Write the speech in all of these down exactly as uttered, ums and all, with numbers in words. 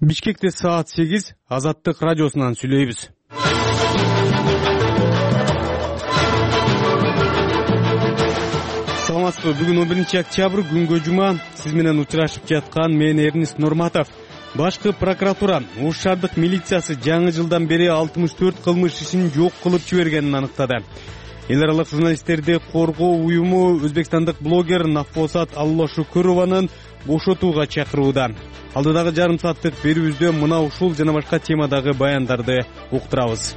Бишкекте саат сегиз, Азаттык радиосунан сүйлөйбүз. Саламатсызбы? Бүгүн он биринчи октябрь, күнгө жума. Сиз менен учурашып жаткан мен Эрнис Нурматов. Башкы прокуратура Ош шаардык милициясы жаңы жылдан бери алтымыш төрт кылмыш ишин жок кылып жибергенин аныктады. Эл аралык журналисттерди коргоо уюму өзбекстандык блогер Нафосат Аллашукурованын бошотууга чакырууда. Алдыдагы жарым сааттык берүүбүздө мына ушул жана башка темадагы баяндарды уктурабыз.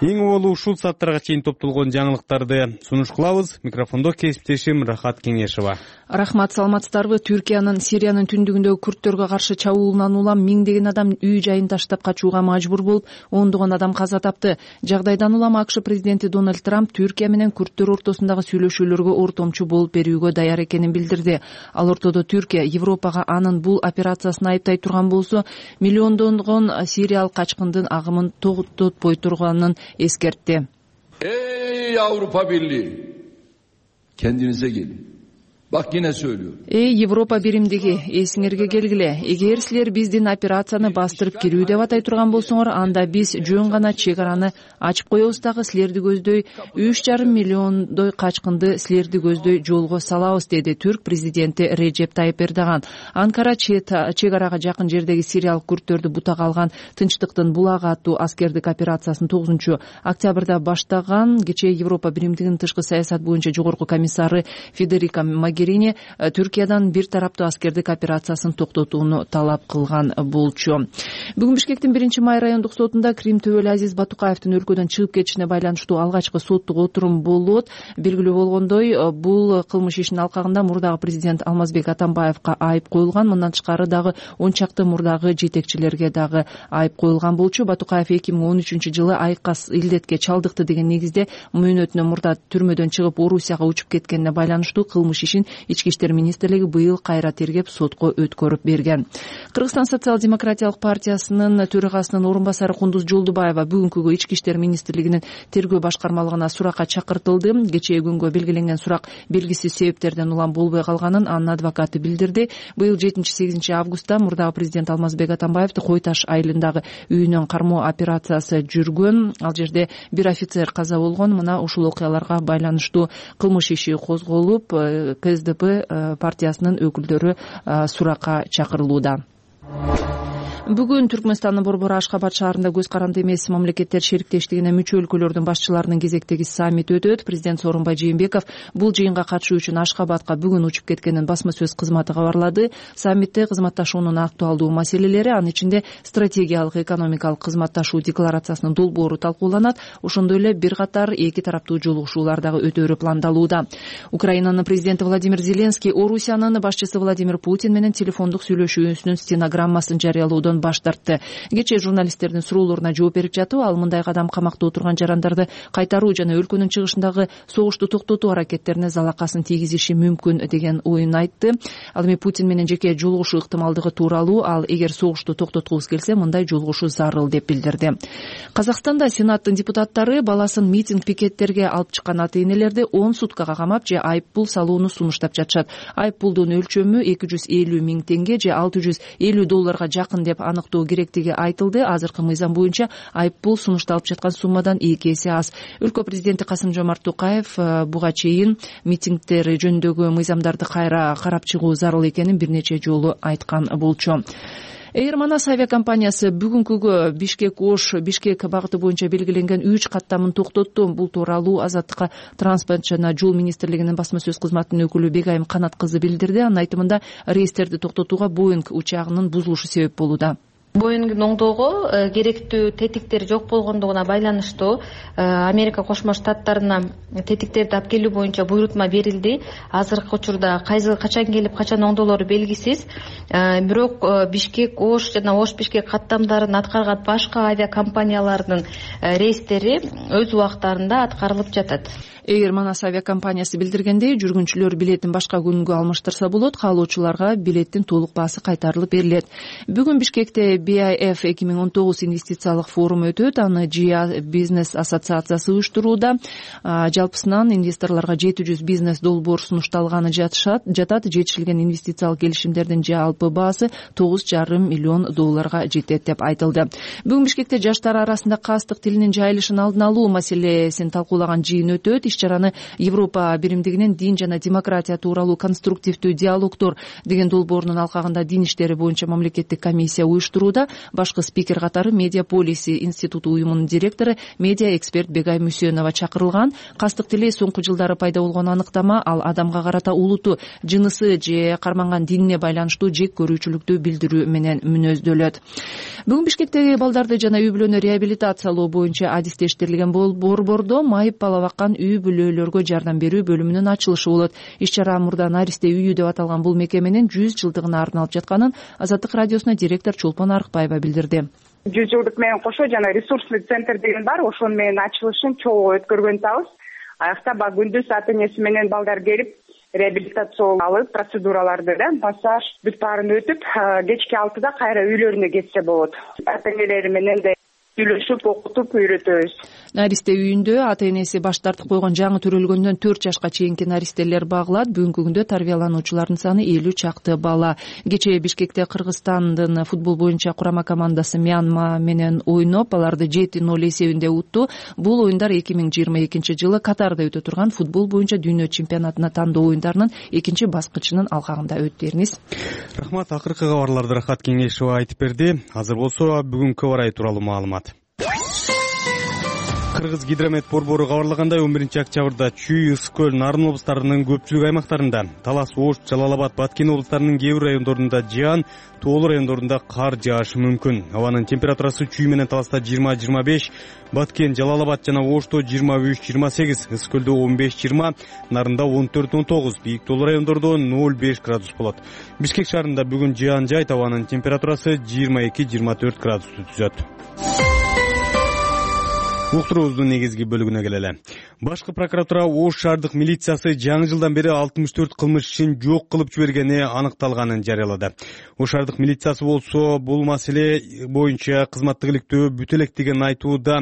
Эң оболу ушул сааттарга чейин топтолгон жаңылыктарды сунуш кылабыз. Микрофондо кесиптешим Рахат Кеңешова. Рахмат, саламатсыздарбы? Түркиянын Сириянын түндүгүндөгү күрттөргө каршы чабуулунан улам миңдеген адам үй жайын таштап качууга мажбур болуп, ондогон адам каза тапты. Жагдайдан улам АКШ президенти Дональд Трамп Түркия менен күрттөр ортосундагы сүйлөшүүлөргө ортомчу болуп берүүгө даяр экенин билдирди. Ал ортодо Түркия Европага анын бул операциясын айыптай турган болсо, миллиондонгон сириялык качкындын агымын токтотпой турганын эскертти. Ey Avrupa Birliği, kendinize gelin. Bak yine söylüyorum. Эй Европа биримдиги, эсиңерге келгиле. Эгер силер биздин операцияны бастырып кирүү деп атай турган болсоңор, анда биз жөн гана чек араны ачып коебуз дагы силерди көздөй үч жарым миллиондой качкынды силерди көздөй жолго салабыз, деди Түрк президенти Режеп Тайып Эрдоган. Анкара чек арага жакын жердеги сириялык күрттөрдү бутага алган Тынчтыктын булагы аттуу аскердик операциясын тогузунчу октябрда баштаган. Кечээ Европа биримдигинин тышкы саясат боюнча жогорку комиссары Федерика Могерини Түркиядан бир тараптуу аскердик операциясын токтотууну талап кылган болчу. Бүгүн Бишкектин биринчи май райондук сотунда Крим төбөлү Азиз Батукаевдин өлкөдөн чыгып кетишине байланыштуу алгачкы соттук отурум болот. Белгилүү болгондой, бул кылмыш ишинин алкагында мурдагы президент Алмазбек Атамбаевка айып коюлган. Мындан тышкары дагы он чакты мурдагы жетекчилерге дагы айып коюлган болчу. Батукаев эки миң он үчүнчү жылы айкас илдетке чалдыкты деген негизде мөөнөтүнө мурда түрмөдөн чыгып Орусияга учуп кеткенине байланыштуу кылмыш ишин Ички иштер министрлиги быйыл кайра тергеп сотко өткөрүп берген. Кыргызстан социал-демократиялык партиясынын төрагасынын орун басары Кундуз Жолдубаева бүгүнкү Ички иштер министрлигинин тергөө башкармалыгына суракка чакыртылды. Кечээ күнгө белгиленген сурак белгисиз себептерден улам болбой калганын анын адвокаты билдирди. Быйыл жетинчи сегизинчи августта мурдагы президент Алмазбек Атамбаевди Кой Таш айылындагы үйүнөн кармоо операциясы жүргөн. Ал жерде бир офицер каза болгон. Мына ушул окуяларга байланыштуу кылмыш иши козголуп, КСДП партиясынын өкүлдөрү суракка чакырылууда. Бүгүн Түркмөнстандын борбору Ашкабад шаарында көз каранды эмес мамлекеттер шериктештигине мүчө өлкөлөрдүн башчыларынын кезектеги саммит өтөт. Президент Сооронбай Жээнбеков бул жыйынга катышуу үчүн Ашкабадка бүгүн учуп кеткенин басма сөз кызматы кабарлады. Саммитте кызматташуунун актуалдуу маселелери, анын ичинде стратегиялык экономикалык кызматташуу декларациясынын долбоору талкууланат. Ошондой эле бир катар эки тараптуу жолугушуулар дагы өтөөрү пландалууда. Украинанын президенти Владимир Зеленский Орусиянын башчысы Владимир Путин менен телефондук сүйлөшүүсүнүн стенограммасын жарыялоодон баш тартты. Кечээ журналисттердин суроолоруна жооп берип жатып, ал мындай кадам камакта отурган жарандарды кайтаруу жана өлкөнүн чыгышындагы согушту токтотуу аракеттерине залакасын тийгизиши мүмкүн деген оюн айтты. Ал эми Путин менен жеке жолугушуу ыктымалдыгы тууралуу, ал эгер согушту токтоткубуз келсе, мындай жолугушуу зарыл деп билдирди. Казакстанда Сенаттын депутаттары баласын митинг пикеттерге алып чыккан ата-энелерди он суткага камап же айып пул салууну сунуштап жатышат. Айып пулдун өлчөмү эки жүз элүү миң теңге же алты жүз элүү долларга жакын деп аныктоо керектиги айтылды. Азыркы мыйзам боюнча айып пул сунушталып жаткан суммадан эки эсе аз. Өлкө президенти Касым-Жомарт Токаев буга чейин митингдер жөнүндөгү мыйзамдарды кайра карап чыгуу зарыл экенин бир нече жолу айткан болчу. Эйр Манас авиакомпаниясы бүгүнкүгө Бишкек-Ош Бишкек багыты боюнча белгиленген үч каттамын токтотту. Бул тууралуу Азаттыкка транспорт жана жол министрлигинин басма сөз кызматынын өкүлү Бегайым Канат кызы билдирди. Анын айтымында рейстерди токтотууга Боинг учагынын бузулушу себеп болууда. Боингдин оңдоого керектүү тетиктер жок болгондугуна байланыштуу Америка Кошмо Штаттарына тетиктерди алып келүү боюнча буйрутма берилди. Азыркы учурда качан келип качан оңдолору белгисиз. Бирок Бишкек Ош жана Ош Бишкек каттамдарын аткарган башка авиакомпаниялардын рейстери өз убактарында аткарылып жатат. Эйр Манас авиакомпаниясы билдиргендей, жүргүнчүлөр билетин башка күнгө алмаштырса болот, каалоочуларга билеттин толук баасы кайтарылып берилет. Бүгүн Бишкекте би ай эф эки миң он тогуз инвестициялык форуму өтөт. Аны джи бизнес ассоциациясы уюштурууда. Жалпысынан инвесторлорго жети жүз бизнес долбоор сунушталганы жатышат жатат. Жетишилген инвестициялык келишимдердин жалпы баасы тогуз жарым миллион долларга жетет деп айтылды. Бүгүн Бишкекте жаштар арасында кастык тилинин жайылышын алдын алуу маселесин талкуулаган жыйын өтөт. Иш-чараны Европа биримдигинин дин жана демократия тууралуу конструктивдүү диалогдор деген долбоорунун алкагында дин иштери боюнча мамлекеттик комиссия уюштурууда. Башкы спикер катары Медиаполиси институту уюмунун директору медиа эксперт Бегай Мүсөнова чакырылган. Кастык тили соңку жылдары пайда болгон аныктама, ал адамга карата улуту, жынысы же карманган динине байланыштуу жек көрүүчүлүктү билдирүү менен мүнөздөлөт. Бүгүн Бишкектеги балдарды жана үй бүлөнү реабилитациялоо боюнча адистештирилген борбордо майып бала баккан үй бүлөлөргө жардам берүү бөлүмүнүн ачылышы болот. Иш-чара мурда Наристе үйү деп аталган бул мекеменин жүз жылдыгына арналып жатканын Азаттык радиосуна директор Чолпон Арыкбаева билдирди. жүз жылдык менен кошо жана ресурсный центр деген бар, ошонун менен ачылышын чогуу өткөргөн атабыз. Аякта баг күндүз ата энеси менен балдар келип реабилитация алып, процедураларды да массаж бүт баарын өтүп, кечки алтыда кайра үйлөрүнө кетсе болот. Ата энелери менен да сүйлөшүп, окутуп, үйрөтөбүз. Наристе үйүндө ата энеси баш тартып койгон жаңы төрөлгөндөн төрт жашка чейинки наристелер багылат. Бүгүнкү күндө тарбиялануучулардын саны элүү чакты бала. Кечээ Бишкекте Кыргызстандын футбол боюнча курама командасы Мьянма менен ойноп, аларды жети ноль эсебинде утту. Бул оюндар эки миң жыйырма экинчи жылы Катарда өтө турган футбол боюнча дүйнө чемпионатына тандоо оюндарынын экинчи баскычынын алкагында өттү. Эрниз. Рахмат, акыркы кабарларды Рахат Кеңешова айтып берди. Азыр болсо бүгүнкү абар ай тууралуу маалымат. Кыргыз гидромет борбору кабарлагандай, он биринчи октябрда Чүй, Ысык көл, Нарын облустарынын көпчүлүк аймактарында, Талас, Ош, Жалал-Абад, Баткен облустарынын кээ бир райондорунда жаан, тоолуу райондорунда кар жаашы мүмкүн. Абанын температурасы Чүй менен Таласта жыйырма жыйырма беш, Баткен, Жалал-Абад жана Ошто жыйырма үч жыйырма сегиз, Ысык көлдө он беш жыйырма, Нарында он төрт он тогуз, бийик тоолуу райондордо ноль беш градус болот. Бишкек шаарында бүгүн жаан жайт, абанын температурасы жыйырма эки жыйырма төрт градусту түзөт. Уктуруубуздун негизги бөлүгүнө келели. Башкы прокуратура Ош шаардык милициясы жаңы жылдан бери алтымыш төрт кылмыш ишин жок кылып жибергени аныкталганын жарыялады. Ош шаардык милициясы болсо бул маселе боюнча кызматтык иликтөө бүтө элек деген айтууда.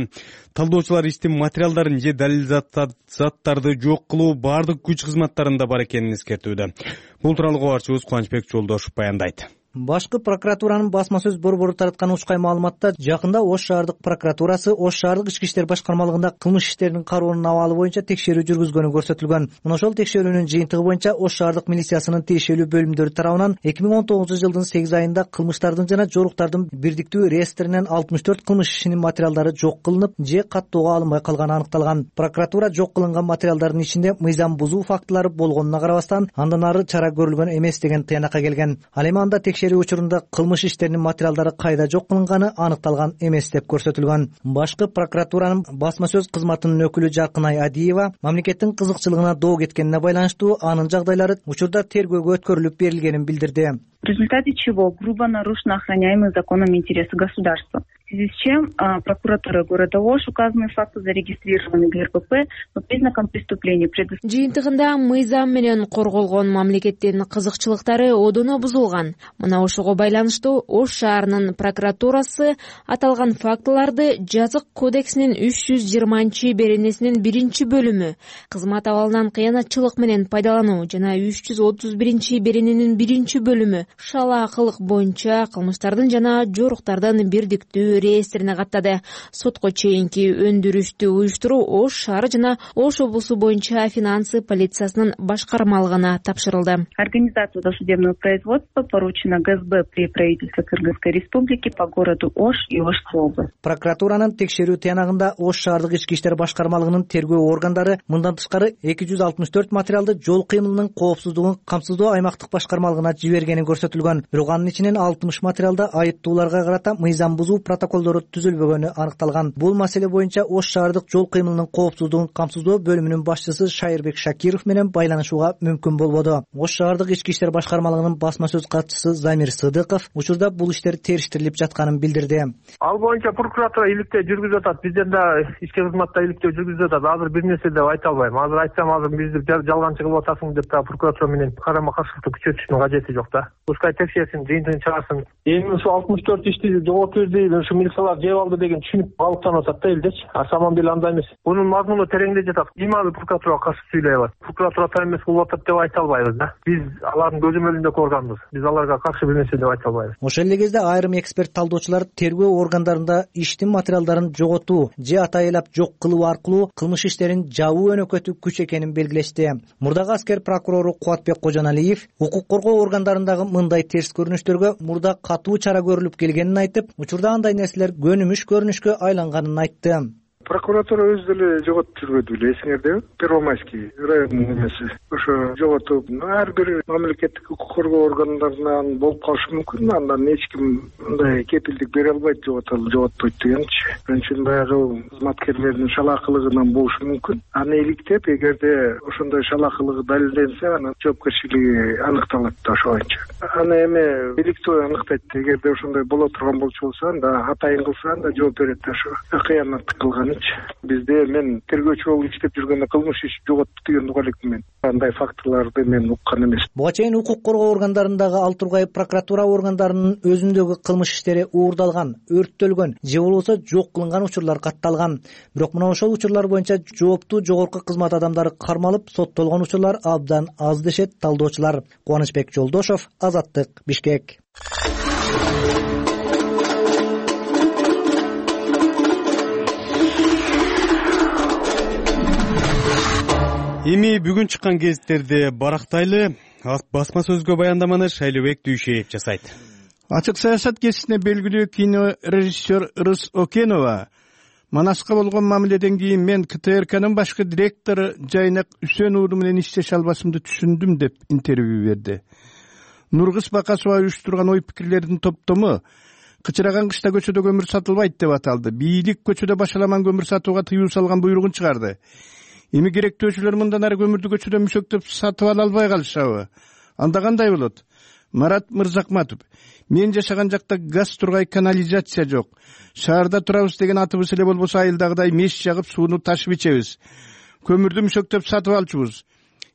Талдоочулар иштин материалдарын же далил заттарды жок кылуу бардык күч кызматтарында бар экенин эскертүүдө. Бул тууралуу кабарчыбыз Кубанычбек Жолдошов баяндайт. Башкы прокуратуранын басма сөз борбору тараткан учкай маалыматта жакында Ош шаардык прокуратурасы Ош шаардык ички иштер башкармалыгында кылмыш иштеринин кароонун абалы боюнча текшерүү жүргүзгөнү көрсөтүлгөн. Мына ошол текшерүүнүн жыйынтыгы боюнча Ош шаардык милициясынын тиешелүү бөлүмдөрү тарабынан эки миң он тогузунчу жылдын сегиз айында кылмыштардын жана жоруктардын бирдиктүү реестринен алтымыш төрт кылмыш ишинин материалдары жок кылынып же каттоого алынбай калганы аныкталган. Прокуратура жок кылынган материалдардын ичинде мыйзам бузуу фактылары болгонуна карабастан андан ары чара көрүлгөн эмес деген тыянакка келген. Ал эми анда текшерүү учурунда кылмыш иштеринин материалдары кайда жок кылынганы аныкталган эмес деп көрсөтүлгөн. Башкы прокуратуранын басма сөз кызматынын өкүлү Жаркынай Адиева мамлекеттин кызыкчылыгына доо кеткенине байланыштуу анын жагдайлары учурда тергөөгө өткөрүлүп берилгенин билдирди. В результате чего грубо нарушены охраняемые законом интересы государства. В связи с чем а, прокуратура города Ош указанные факты зарегистрированы в ГРПП по признакам преступления. Жыйынтыгында мыйзам менен корголгон мамлекеттин кызыкчылыктары одоно бузулган. Мына ошого байланыштуу Ош шаарынын прокуратурасы аталган фактыларды Жазык кодексинин үч жүз жыйырманчы беренесинин биринчи бөлүмү кызмат абалынан кыянатчылык менен пайдалануу жана үч жүз отуз биринчи берененин биринчи бөлүмү шалаакылык боюнча кылмыштардын жана жоруктардын бирдиктүү реестрине каттады. Сотко чейинки өндүрүштү уюштуруу Ош шаары жана Ош облусу боюнча финансы полициясынын башкармалыгына тапшырылды. Организация досудебного производства поручена ГСБ при правительстве Кыргызской республики по городу Ош и Ошской области. Прокуратуранын текшерүү тыянагында Ош шаардык ички иштер башкармалыгынын тергөө органдары мындан тышкары эки жүз алтымыш төрт материалды жол кыймылынын коопсуздугун камсыздоо аймактык башкармалыгына жибергени көрсөтүлгөн. Бирок анын ичинен алтымыш материалда айыптууларга карата мыйзам бузуу протокол протоколдору түзүлбөгөнү аныкталган. Бул маселе боюнча Ош шаардык жол кыймылынын коопсуздугун камсыздоо бөлүмүнүн башчысы Шайырбек Шакиров менен байланышууга мүмкүн болбоду. Ош шаардык ички иштер башкармалыгынын басма сөз катчысы Замир Сыдыков учурда бул иштер териштирилип жатканын билдирди. Ал боюнча прокуратура иликтөө жүргүзүп атат. Бизден да ички кызматта иликтөө жүргүзүп атат. Азыр бир нерсе деп айта албайм. Азыр айтсам азыр бизди жалганчы кылып атасың деп да прокуратура менен карама каршылыкты күчөтүштүн кажети жок да. Пускай текшерсин, жыйынтыгын чыгарсын. Эми ушу алтымыш төрт ишти жогот берди, ушу милициялар жеп алды деген түшүнүп балыктанып атат да элдечи. А самом деле андай эмес. Бунун мазмуну тереңде жатат. Ималы прокуратурага каршы сүйлөй алат. Прокуратура так эмес кылып атат деп айта албайбыз да. Биз алардын көзөмөлүндө көргөнбүз. Биз аларга каршы бир нерсе деп айта албайбыз. Ошол эле кезде айрым эксперт талдоочулар тергөө органдарында иштин материалдарын жоготуу же атайылап жок кылуу аркылуу кылмыш иштерин жабуу өнөкөтү күч экенин белгилешти. Мурдагы аскер прокурору Кубатбек Кожоналиев укук коргоо органдарындагы мындай терс көрүнүштөргө мурда катуу чара көрүлүп келгенин айтып, учурда андай нерселер көнүмүш көрүнүшкө айланганын айтты. Прокуратура өзү деле жоготуп жүрбөдү беле, эсиңердеби? Первомайский районунун эмеси. Ошо жоготуп, ар бир мамлекеттик укук коргоо органдарынан болуп калышы мүмкүн. Андан эч ким мындай кепилдик бере албайт, жоготолу, жоготпойт дегенчи. Ошон үчүн баягы кызматкерлердин шалаакылыгынан болушу мүмкүн. Аны иликтеп, эгерде ошондой шалаакылыгы далилденсе, анан жоопкерчилиги аныкталат да ошо боюнча. Аны эми иликтөө аныктайт. Эгерде ошондой боло турган болчу болсо, анда атайын кылса, анда жооп берет да ошо. Кыянаттык кылган. Бизде мен тергөөчү болуп иштеп жүргөндө кылмыш иш жоготту деген угал элекмин. Андай фактыларды мен уккан эмес. Буга чейин укук коргоо органдарындагы ал тургай прокуратура органдарынын өзүндөгү кылмыш иштери уурдалган, өрттөлгөн же болбосо жок кылынган учурлар катталган. Бирок мына ошол учурлар боюнча жооптуу жогорку кызмат адамдары кармалып, соттолгон учурлар абдан аз дешет талдоочулар. Кубанычбек Жолдошов, Азаттык, Бишкек. Эми бүгүн чыккан гезиттерди барактайлы. Басма сөзгө баяндаманы Шайлыбек Дүйшеев жасайт. Ачык саясат гезитине белгилүү кинорежиссер Ырыс Окенова Манаска болгон мамиледен кийин мен КТРКнын башкы директору Жайнак Үсөн уулу менен иштеше албашымды түшүндүм деп интервью берди. Нургыз Бакасова уюштурган ой пикирлердин топтому кычыраган кышта көчөдө көмүр сатылбайт деп аталды. Бийлик көчөдө башаламан көмүр сатууга тыюу салган буйругун чыгарды. Эми керектөөчүлөр мындан ары көмүрдү көчөдө мүшөктөп сатып ала албай калышабы? Анда кандай болот? Марат Мырзакматов: мен жашаган жакта газ тургай канализация жок. Шаарда турабыз деген атыбыз эле болбосо айылдагыдай меш жагып сууну ташып ичебиз. Көмүрдү мүшөктөп сатып алчубуз.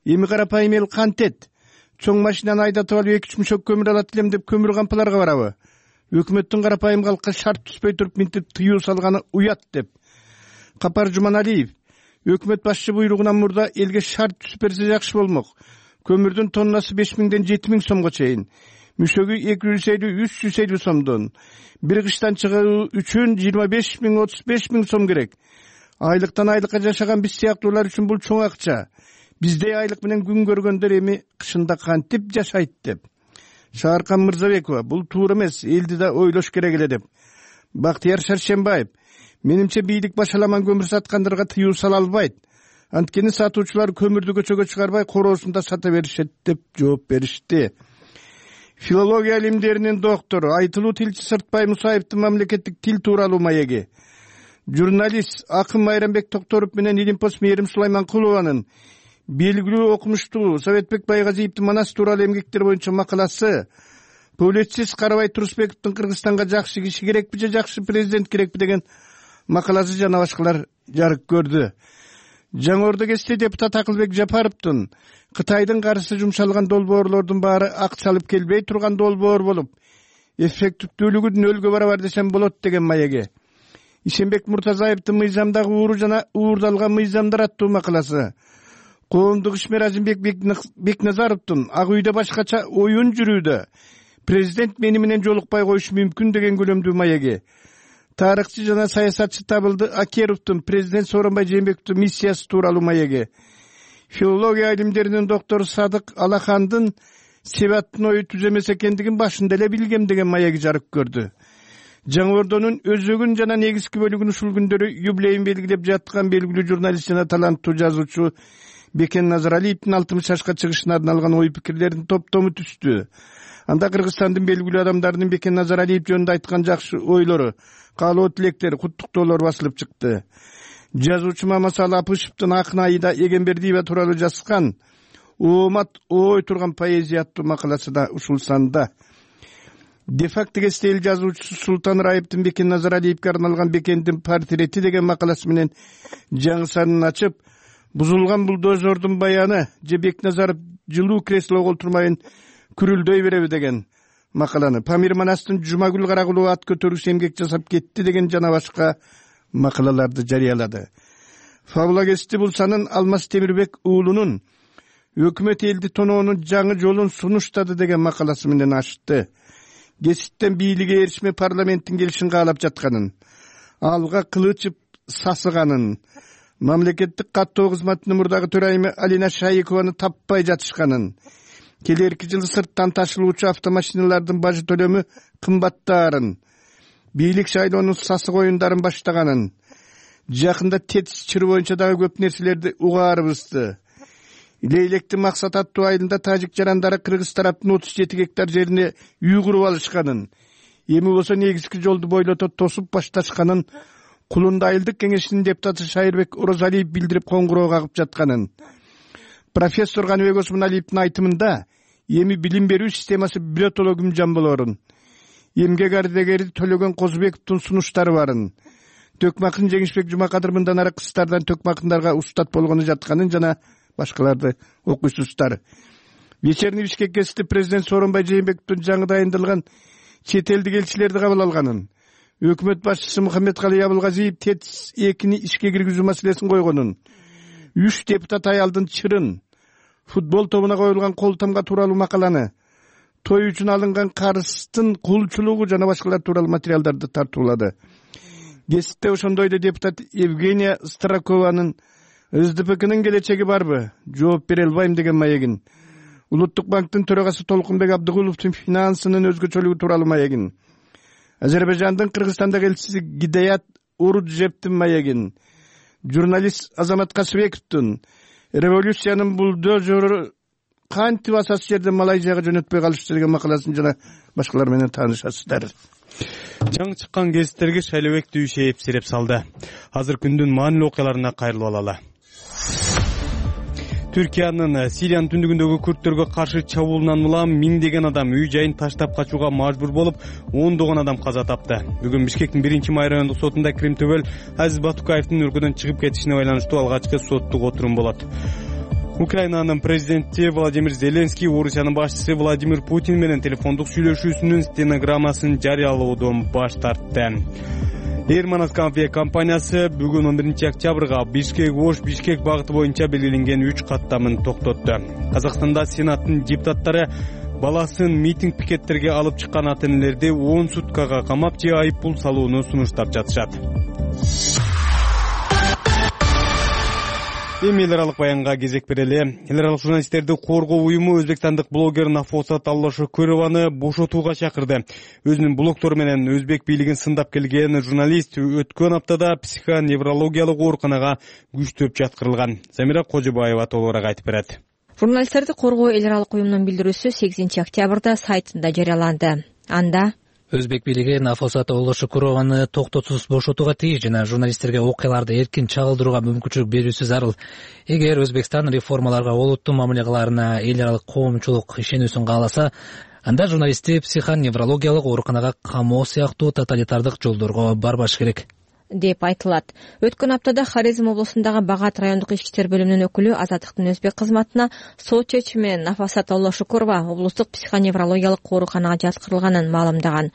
Эми карапайым эл кантет? Чоң машинаны айдатып алып эки үч мүшөк көмүр алат элем деп көмүр кампаларга барабы? Өкмөттүн карапайым калкка шарт түспөй туруп минтип тыюу салганы уят деп. Капар Жуманалиев: өкмөт башчы буйругунан мурда элге шарт түзүп берсе жакшы болмок. Көмүрдүн тоннасы беш миңден жети миң сомго чейин. Мүшөгү эки жүз элүү үч жүз элүү сомдон. Бир кыштан чыгуу үчүн жыйырма беш миң отуз беш миң сом керек. Айлыктан айлыкка жашаган биз сыяктуулар үчүн бул чоң акча. Биздей айлык менен күн көргөндөр эми кышында кантип жашайт деп. Шааркан Мырзабекова: бул туура эмес, элди да ойлош керек эле деп. Бактияр Шаршембаев: менимче бийлик башаламан көмүр саткандарга тыюу сала албайт. Анткени сатуучулар көмүрдү көчөгө чыгарбай короосунда сата беришет деп жооп беришти. Филология илимдеринин доктору, айтылуу тилчи Сыртбай Мусаевдин мамлекеттик тил тууралуу маеги. Журналист Акын Майрамбек Токторов менен Илимпос Мээрим Сулайманкулованын белгилүү окумуштуу Советбек Байгазиевдин Манас тууралуу эмгектер боюнча макаласы, публицист Карабай Турусбековдун Кыргызстанга жакшы киши керекпи же жакшы президент керекпи деген макаласы жана башкалар жарык көрдү. Жаңы Ордо КСТ депутат Акылбек Жапаровдун Кытайдын каршы жумшалган долбоорлордун баары акчалып келбей турган долбоор болуп, эффективдүүлүгү нөлгө барабар десем болот деген маеги. Ишенбек Муртазаевдин мыйзамдагы ууру жана уурдалган мыйзамдар аттуу макаласы. Коомдук ишмер Азимбек Бекназаровдун Ак үйдө башкача оюн жүрүүдө президент мени менен жолукпай коюшу мүмкүн деген көлөмдүү маеги. Тарыхчы жана саясатчы Табылды Акеровдун президент Сооронбай Жээнбековдун миссиясы тууралуу маеги. Филология илимдеринин доктору Садык Алахандын Себаттын ою түз эмес экендигин башында эле билгем деген маеги жарык көрдү. Жаңы Ордонун өзөгүн жана негизги бөлүгүн ушул күндөрү юбилейин белгилеп жаткан белгилүү журналист жана таланттуу жазуучу Бекен Назаралиевдин алтымыш жашка чыгышына арналган ой пикирлердин топтому түстү. Анда Кыргызстандын белгилүү адамдарынын Бекен Назаралиев жөнүндө айткан жакшы ойлору, каалоо тилектери, куттуктоолор басылып чыкты. Жазуучу Мамасалы Апышевдин Акын айда Эгембердиева тууралуу жазган Оомат ой турган поэзия аттуу макаласы да ушул санда. Де-факто эл жазуучусу Султан Раевдин Бекен Назаралиевге арналган Бекендин портрети деген макаласы менен жаңы санын ачып, бузулган бульдозердун баяны же Бекназаров жылуу креслого отурмайын күрүлдөй береби деген макаланы, Памир Манастын Жумагүл Карагулова ат көтөрүүчү эмгек жасап кетти деген жана башка макалаларды жарыялады. Фабулагести Булсанын Алмаз Темирбек уулунун өкмөт элди тоноонун жаңы жолун сунуштады деген макаласы менен ачты. Геситтен бийликке эришме парламенттин келишин каалап жатканын, алга кылычып сасыганын, мамлекеттик каттоо кызматынын мурдагы төрайымы Алина Шайыкованы таппай жатышканын, келерки жылы сырттан ташылуучу автомашиналардын бажы төлөмү кымбаттаарын, бийлик шайлоонун сасык оюндарын баштаганын, жакында ТЭЦ чыры боюнча дагы көп нерселерди угаарыбызды. Лейлектин Максат аттуу айылында тажик жарандары кыргыз тараптын отуз жети гектар жерине үй куруп алышканын, эми болсо негизги жолду бойлото тосуп башташканын Кулунда айылдык кеңешинин депутаты Шайырбек Орозалиев билдирип коңгуроо кагып жатканын. Профессор Каныбек Осмоналиевдин айтымында эми билим берүү системасы биротоло күмжан болорун, эмгек ардегери Төлөгөн Козубековдун сунуштары барын, Төкмакын Жеңишбек Жумакадыр мындан ары кыздардан төкмакындарга устат болгону жатканын жана башкаларды окуйсуздар. Вечерний Бишкек гезити президент Сооронбай Жээнбековдун жаңы дайындалган чет элдик элчилерди кабыл алганын, өкмөт башчысы Мухаммедкалый Абылгазиев ТЭЦ экини ишке киргизүү маселесин койгонун, үч депутат аялдын чырын, футбол тобуна коюлган кол тамга тууралуу макаланы, той үчүн алынган карыздын кулчулугу жана башкалар тууралуу материалдарды тартуулады. Гезитте ошондой эле депутат Евгения Старакованын СДПКнын келечеги барбы? Жооп бере албайм деген маегин. Улуттук банктын төрагасы Толкунбек Абдыгуловдун финансынын өзгөчөлүгү тууралуу маегин. Азербайжандын Кыргызстандагы элчиси Гидаят Уруджептин маегин. Журналист Азамат Касыбековдун революциянын булдозеру кантип асас жерден Малайзияга жөнөтпөй калышты деген макаласын жана башкалар менен таанышасыздар. Жаңы чыккан гезиттерге Шайлебек Дүйшеев сереп салды. Азыр күндүн маанилүү окуяларына кайрылып алалы. Түркиянын Сириянын түндүгүндөгү күрттөргө каршы чабуулунан улам миңдеген адам үй жайын таштап качууга мажбур болуп, ондогон адам каза тапты. Бүгүн Бишкектин биринчи май райондук сотунда Крим Төбөл Азиз Батукаевдин өлкөдөн чыгып кетишине байланыштуу алгачкы соттук отурум болот. Украинанын президенти Владимир Зеленский Орусиянын башчысы Владимир Путин менен телефондук сүйлөшүүсүнүн стенограммасын жарыялоодон баш тартты. Эрманат компаниясы бүгүн он биринчи октябрга Бишкек-Ош Бишкек багыты боюнча белгиленген үч каттамын токтотту. Казакстанда Сенаттын депутаттары баласын митинг пикеттерге алып чыккан ата-энелерди он суткага камап же айып пул салууну сунуштап жатышат. Эми эл аралык баянга кезек берели. Эл аралык журналисттерди коргоо уюму өзбекстандык блогер Нафосат Аллашөкөрованы бошотууга чакырды. Өзүнүн блогтору менен өзбек бийлигин сындап келген журналист өткөн аптада психоневрологиялык ооруканага күчтөп жаткырылган. Замира Кожобаева толугураак айтып берет. Журналисттерди коргоо эл аралык уюмунун билдирүүсү сегизинчи октябрда сайтында жарыяланды. Анда Өзбек бийлиги Нафосат Аллашөкөрованы токтотсуз бошотууга тийиш жана журналисттерге окуяларды эркин чагылдырууга мүмкүнчүлүк берүүсү зарыл. Эгер Өзбекстан реформаларга олуттуу мамиле кылаарына эл аралык коомчулук ишенүүсүн кааласа, анда журналистти психоневрологиялык ооруканага камоо сыяктуу тоталитардык жолдорго барбаш керек деп айтылат. Өткөн аптада Хорезм облусундагы Багат райондук ички иштер бөлүмүнүн өкүлү Азаттыктын өзбек кызматына сот чечими менен Нафосат Аллашөкөрова облустук психоневрологиялык ооруканага жаткырылганын маалымдаган.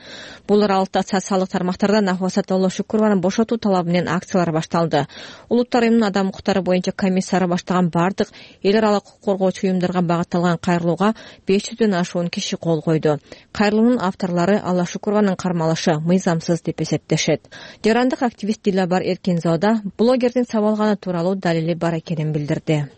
Бул аралыкта социалдык тармактарда Нафосат Аллашөкөрованы бошотуу талабы менен акциялар башталды. Улуттар уюмунун адам укуктары боюнча комиссары баштаган бардык эл аралык укук коргоочу уюмдарга багытталган кайрылууга беш жүздөн ашуун киши кол койду. Кайрылуунун авторлору Аллашөкөрованын кармалышы мыйзамсыз деп эсептешет. Жарандык активист Дилабар Эркинзода блогердин сабалганы тууралуу далили бар экенин билдирди.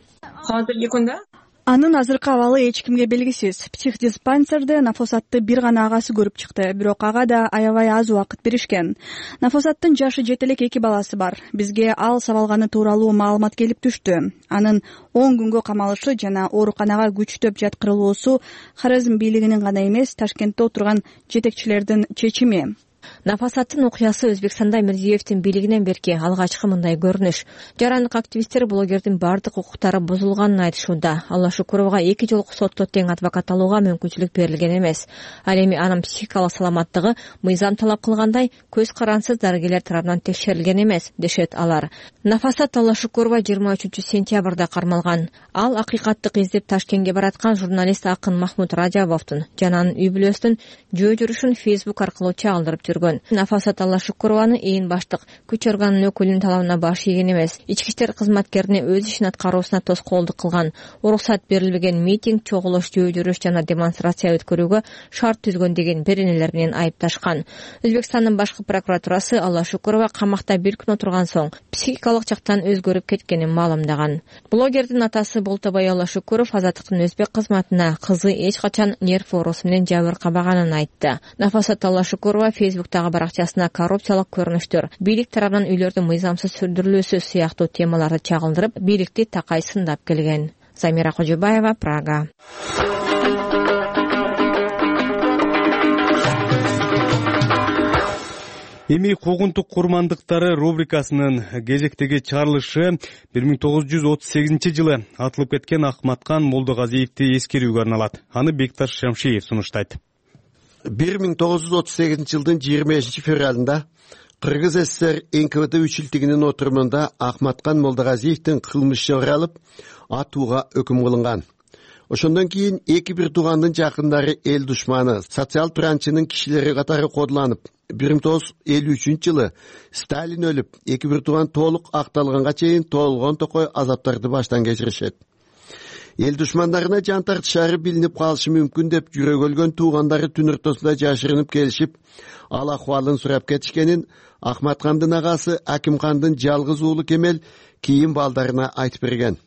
Анын азыркы абалы эч кимге белгисиз. Психдиспансерде Нафосатты бир гана агасы көрүп чыкты, бирок ага да аябай аз убакыт беришкен. Нафосаттын жашы жете элек эки баласы бар. Бизге ал сабалганы тууралуу маалымат келип түштү. Анын он күнгө камалышы жана ооруканага күчтөп жаткырылуусу Хорезм бийлигинин гана эмес, Ташкентте отурган жетекчилердин чечими. Нафосаттын окуясы Өзбекстанда Мирзиевдин бийлигинен берки алгачкы мындай көрүнүш. Жарандык активисттер блогердин бардык укуктары бузулганын айтышууда. Алла Шукурова эки жолку сотто тең адвокат алууга мүмкүнчүлүк берилген эмес. Ал эми анын психикалык саламаттыгы мыйзам талап кылгандай көз карансыз дарыгерлер тарабынан текшерилген эмес, дешет алар. Нафосат Алла Шукурова жыйырма үчүнчү сентябрда кармалган. Ал акыйкаттык издеп Ташкентке бараткан журналист Акын Махмуд Раджабовдун жана анын үй бүлөсүнүн жөө жүрүшүн Facebook аркылуу чагылдырып жүргөн. Нафосат Алла Шукурованы ээн баштык күч органынын өкүлүнүн талабына баш ийген эмес. Ички иштер кызматкерине өз ишин аткаруусуна тоскоолдук кылган, уруксат берилбеген митинг, чогулуш, жөө жүрүш жана демонстрация өткөрүүгө шарт түзгөн деген беренелер менен айыпташкан. Өзбекстандын башкы прокуратурасы Алла Шукурова камакта бир күн отурган соң психикалык жактан өзгөрүп кеткенин маалымдаган. Блогердин атасы Болтобой Алла Шукуров азаттыктын өзбек кызматына кызы эч качан нерв оорусу менен жабыркабаганын айтты. Нафосат Алла Шукурова Facebook'тагы баракчасына коррупциялык көрүнүштөр, бийлик тарабынан үйлөрдүн мыйзамсыз сүрдүрүлүүсү сыяктуу темаларды чагылдырып, бийликти такай сындап келген. Замира Кожобаева, Прага. Эми куугунтук курмандыктары рубрикасынын кезектеги чыгарылышы бир миң тогуз жүз отуз сегизинчи жылы атылып кеткен Ахматкан Молдогазиевди эскерүүгө арналат. Аны Бекташ Шамшиев сунуштайт. бир миң тогуз жүз отуз сегизинчи жылдын жыйырма бешинчи февралында Кыргыз ССР эн ка вэ дэ үчүлтүгүнүн отурумунда Ахматкан Молдогазиевдин кылмышы каралып, атууга өкүм кылынган. Ошондон кийин эки бир туугандын жакындары эл душманы, социал тыранчынын кишилери катары кодуланып, бир миң тогуз жүз элүү үчүнчү жылы Сталин өлүп, эки бир тууган толук акталганга чейин толгон токой азаптарды баштан кечиришет. Эл душмандарына жан тартышары билинип калышы мүмкүн деп жүрөк өлгөн туугандары түн ортосунда жашырынып келишип, ал акыбалын сурап кетишкенин Ахматкандын агасы Акимкандын жалгыз уулу Кемел кийин балдарына айтып берген.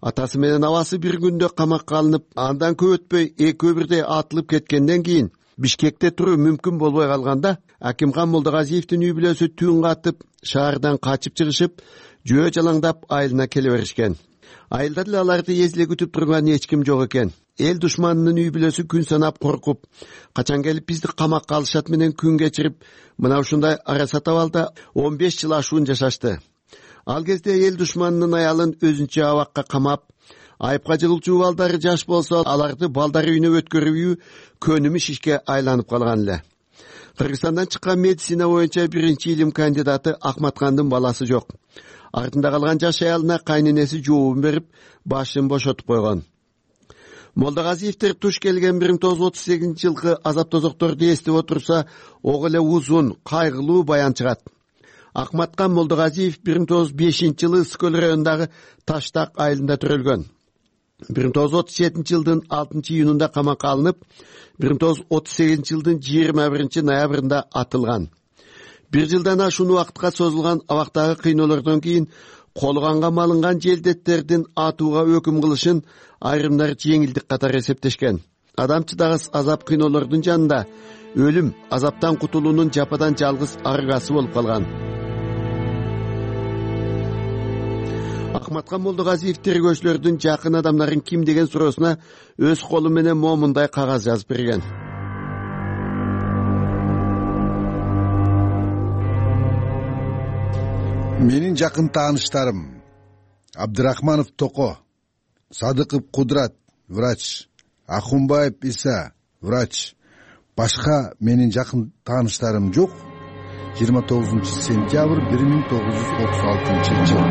Атасы менен абасы бир күндө камакка алынып, андан көп өтпөй экөө бирдей атылып кеткенден кийин Бишкекте туруу мүмкүн болбой калганда, Акимкан Молдогазиевдин үй бүлөсү түн катып, шаардан качып чыгышып, жөө жалаңдап айылына келе беришкен. Айылда эле аларды эзле күтүп турган эч ким жок экен. Эл душманынын үй бүлөсү күн санап коркуп, качан келип бизди камакка алышат менен күн кечирип, мына ушундай арасат абалда он беш жыл ашуун жашашты. Ал кезде эл душманынын аялын өзүнчө абакка камап, айыпка жыгылчу балдары жаш болсо, аларды балдары үйүнө өткөрүүгө көнүмүш ишке айланып калган эле. Кыргызстандан чыккан медицина боюнча биринчи илим кандидаты Ахматкандын баласы жок. Артында калган жаш аялына кайненеси жообун берип, башын бошотуп койгон. Молдогазиевдер туш келген бир миң тогуз жүз отуз сегизинчи жылкы азап тозокторду эстеп отурса, ого эле узун, кайгылуу баян чыгат. Ахматкан Молдогазиев бир миң тогуз жүз бешинчи жылы Скөл районундагы Таштак айылында төрөлгөн. бир миң тогуз жүз отуз жетинчи жылдын алтынчы июнунда камакка алынып, бир миң тогуз жүз отуз сегизинчи жылдын жыйырма биринчи ноябрында атылган. Бир жылдан ашуун убакытка созулган абактагы кыйноолордон кийин колганга малынган желдеттердин атууга өкүм кылышын айрымдар жеңилдик катары эсептешкен. Адам чыдагыс азап кыйноолордун жанында өлүм, азаптан кутулуунун жападан жалгыз аргасы болуп калган. Ахматкан Молдогазиев тергөөчүлөрдүн жакын адамдарын ким деген суроосуна өз колу менен момундай кагаз жазып берген. Менин жакын тааныштарым Абдырахманов Токо, Садыков Кудрат, врач, Ахунбаев Иса, врач. Башка менин жакын тааныштарым жок. жыйырма тогузунчу сентябрь бир миң тогуз жүз отуз алтынчы жыл.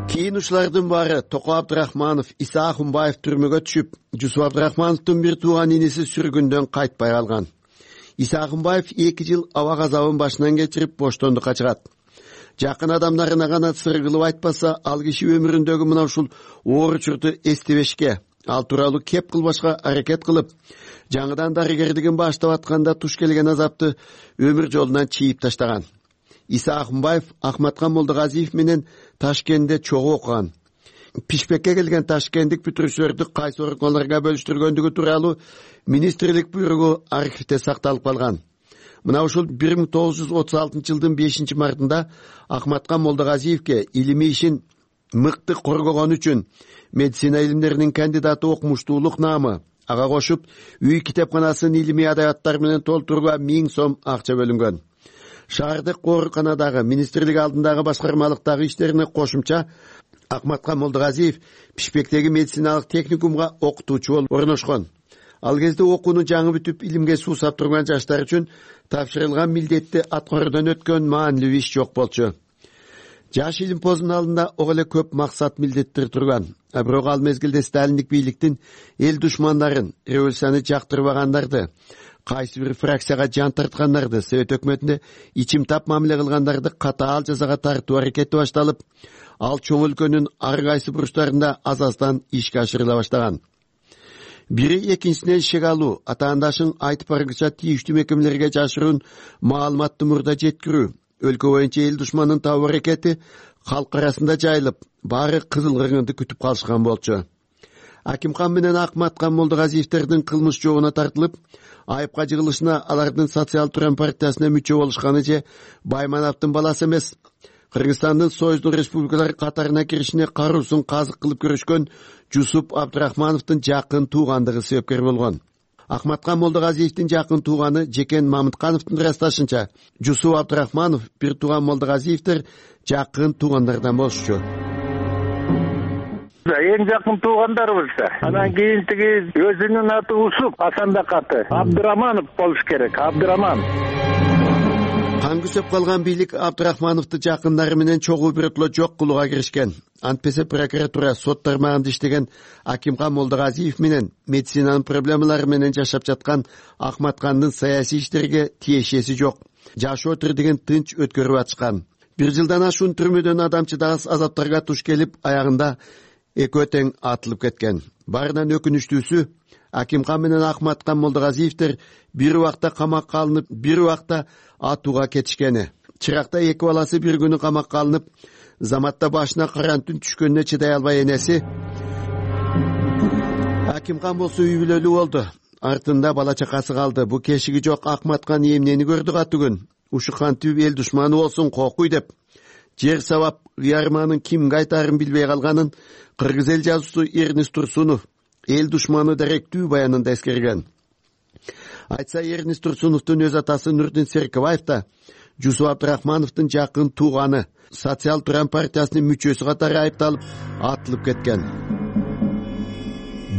Кийин ушулардын баары Токо Абдырахманов, Иса Ахунбаев түрмөгө түшүп, Жусуп Абдырахмановдун бир тууган иниси сүргүндөн кайтпай калган. Иса Ахунбаев эки жыл аба газабын башынан кечирип боштондукка чыгат. Жакын адамдарына гана сыр кылып айтпаса, ал киши өмүрүндөгү мына ушул оор учурду эстебешке, ал тууралуу кеп кылбашка аракет кылып, жаңыдан дарыгерлигин баштап атканда туш келген азапты өмүр жолунан чийип таштаган. Иса Акмбаев Акматкан Молдогазиев менен Ташкентте чогуу окуган. Пишпекке келген ташкенттик бүтүрүүчүлөрдү кайсы органдарга бөлүштүргөндүгү тууралуу министрлик буйругу архивде сакталып калган. Мына ушул бир миң тогуз жүз отуз алтынчы жылдын бешинчи мартында Акматкан Молдогазиевке илимий ишин мыкты коргогон үчүн медицина илимдеринин кандидаты окумуштуулук наамы, ага кошуп үй китепканасын илимий адабияттар менен толтурууга миң сом акча бөлүнгөн. Шаардык ооруканадагы министрлик алдындагы башкармалыктагы иштерине кошумча Акматкан Молдогазиев Пишпектеги медициналык техникумга окутуучу болуп орношкон. Ал кезде окууну жаңы бүтүп илимге суусап турган жаштар үчүн тапшырылган милдетти аткаруудан өткөн маанилүү иш жок болчу. Жаш илимпоздун алдында ого эле көп максат милдеттер турган. А бирок ал мезгилде сталиндик бийликтин эл душмандарын, революцияны жактырбагандарды, кайсы бир фракцияга жан тарткандарды, Совет өкмөтүндө ичим тап мамиле кылгандарды катаал жазага тартуу аракети башталып, ал чоң өлкөнүн ар кайсы бурчтарында азаздан ишке ашырыла баштаган. Бири экинчисинен шек алуу, атаандашын айтып баргыча тийиштүү мекемелерге жашыруун маалыматты мурда жеткирүү, өлкө боюнча эл душманын табуу аракети калк арасында жайылып, баары кызыл кыргынды күтүп калышкан болчу. Акимхан менен Акматкан Молдогазиевтердин кылмыш жообуна тартылып, айыпка жыгылышына алардын Социал Туран партиясына мүчө болушканы же Баймановдун баласы эмес, Кыргызстандын Союздун республикалары катарына киришине каруусун казык кылып көрүшкөн Жусуп Абдрахмановдун жакын туугандыгы себепкер болгон. Акматкан Молдогазиевдин жакын тууганы Жекен Мамыткановдун ырасташынча, Жусуп Абдрахманов бир тууган Молдогазиевдер жакын туугандардан болушчу. Эң жакын туугандарыбыз. Анан кийин тиги өзүнүн аты Усуп, Асандак аты Абдыраманов болуш керек. Абдыраман. Кан күсөп калган бийлик Абдрахмановду жакындары менен чогуу бирөтлө жок кылууга киришкен. Антпесе прокуратура сот тармагында иштеген Акимхан Молдогазиев менен медицинанын проблемалары менен жашап жаткан Акматкандын саясий иштерге тиешеси жок. Жашоо тирдигин тынч өткөрүп атышкан. Бир жылдан ашуун түрмөдөн адамчыдагыс азаптарга туш келип, аягында экөө тең атылып кеткен. Баарынан өкүнүчтүүсү, Акимхан менен Акматкан Молдогазиевтер бир убакта камакка алынып, бир убакта атууга кетишкени. Чыракта эки баласы бир күнү камакка алынып, заматта башына карантүн түшкөнүнө чыдай албай энеси Акимхан болсо үй бүлөлүү болду. Артында бала чакасы калды. Бу кешиги жок Акматкан эмнени көрдү катүгүн. Ушу кантип эл душманы болсун кокуй деп. Жер сабап уярманын кимге айтарын билбей калганын кыргыз эл жазуучусу Эрнест Турсунов эл душманы даректүү баянында эскерген. Айтса, Эрнест Турсуновдун өз атасы Нурдин Серкебаев да Жусуп Абдрахмановдун жакын тууганы, Социал Туран партиясынын мүчөсү катары айыпталып, атылып кеткен.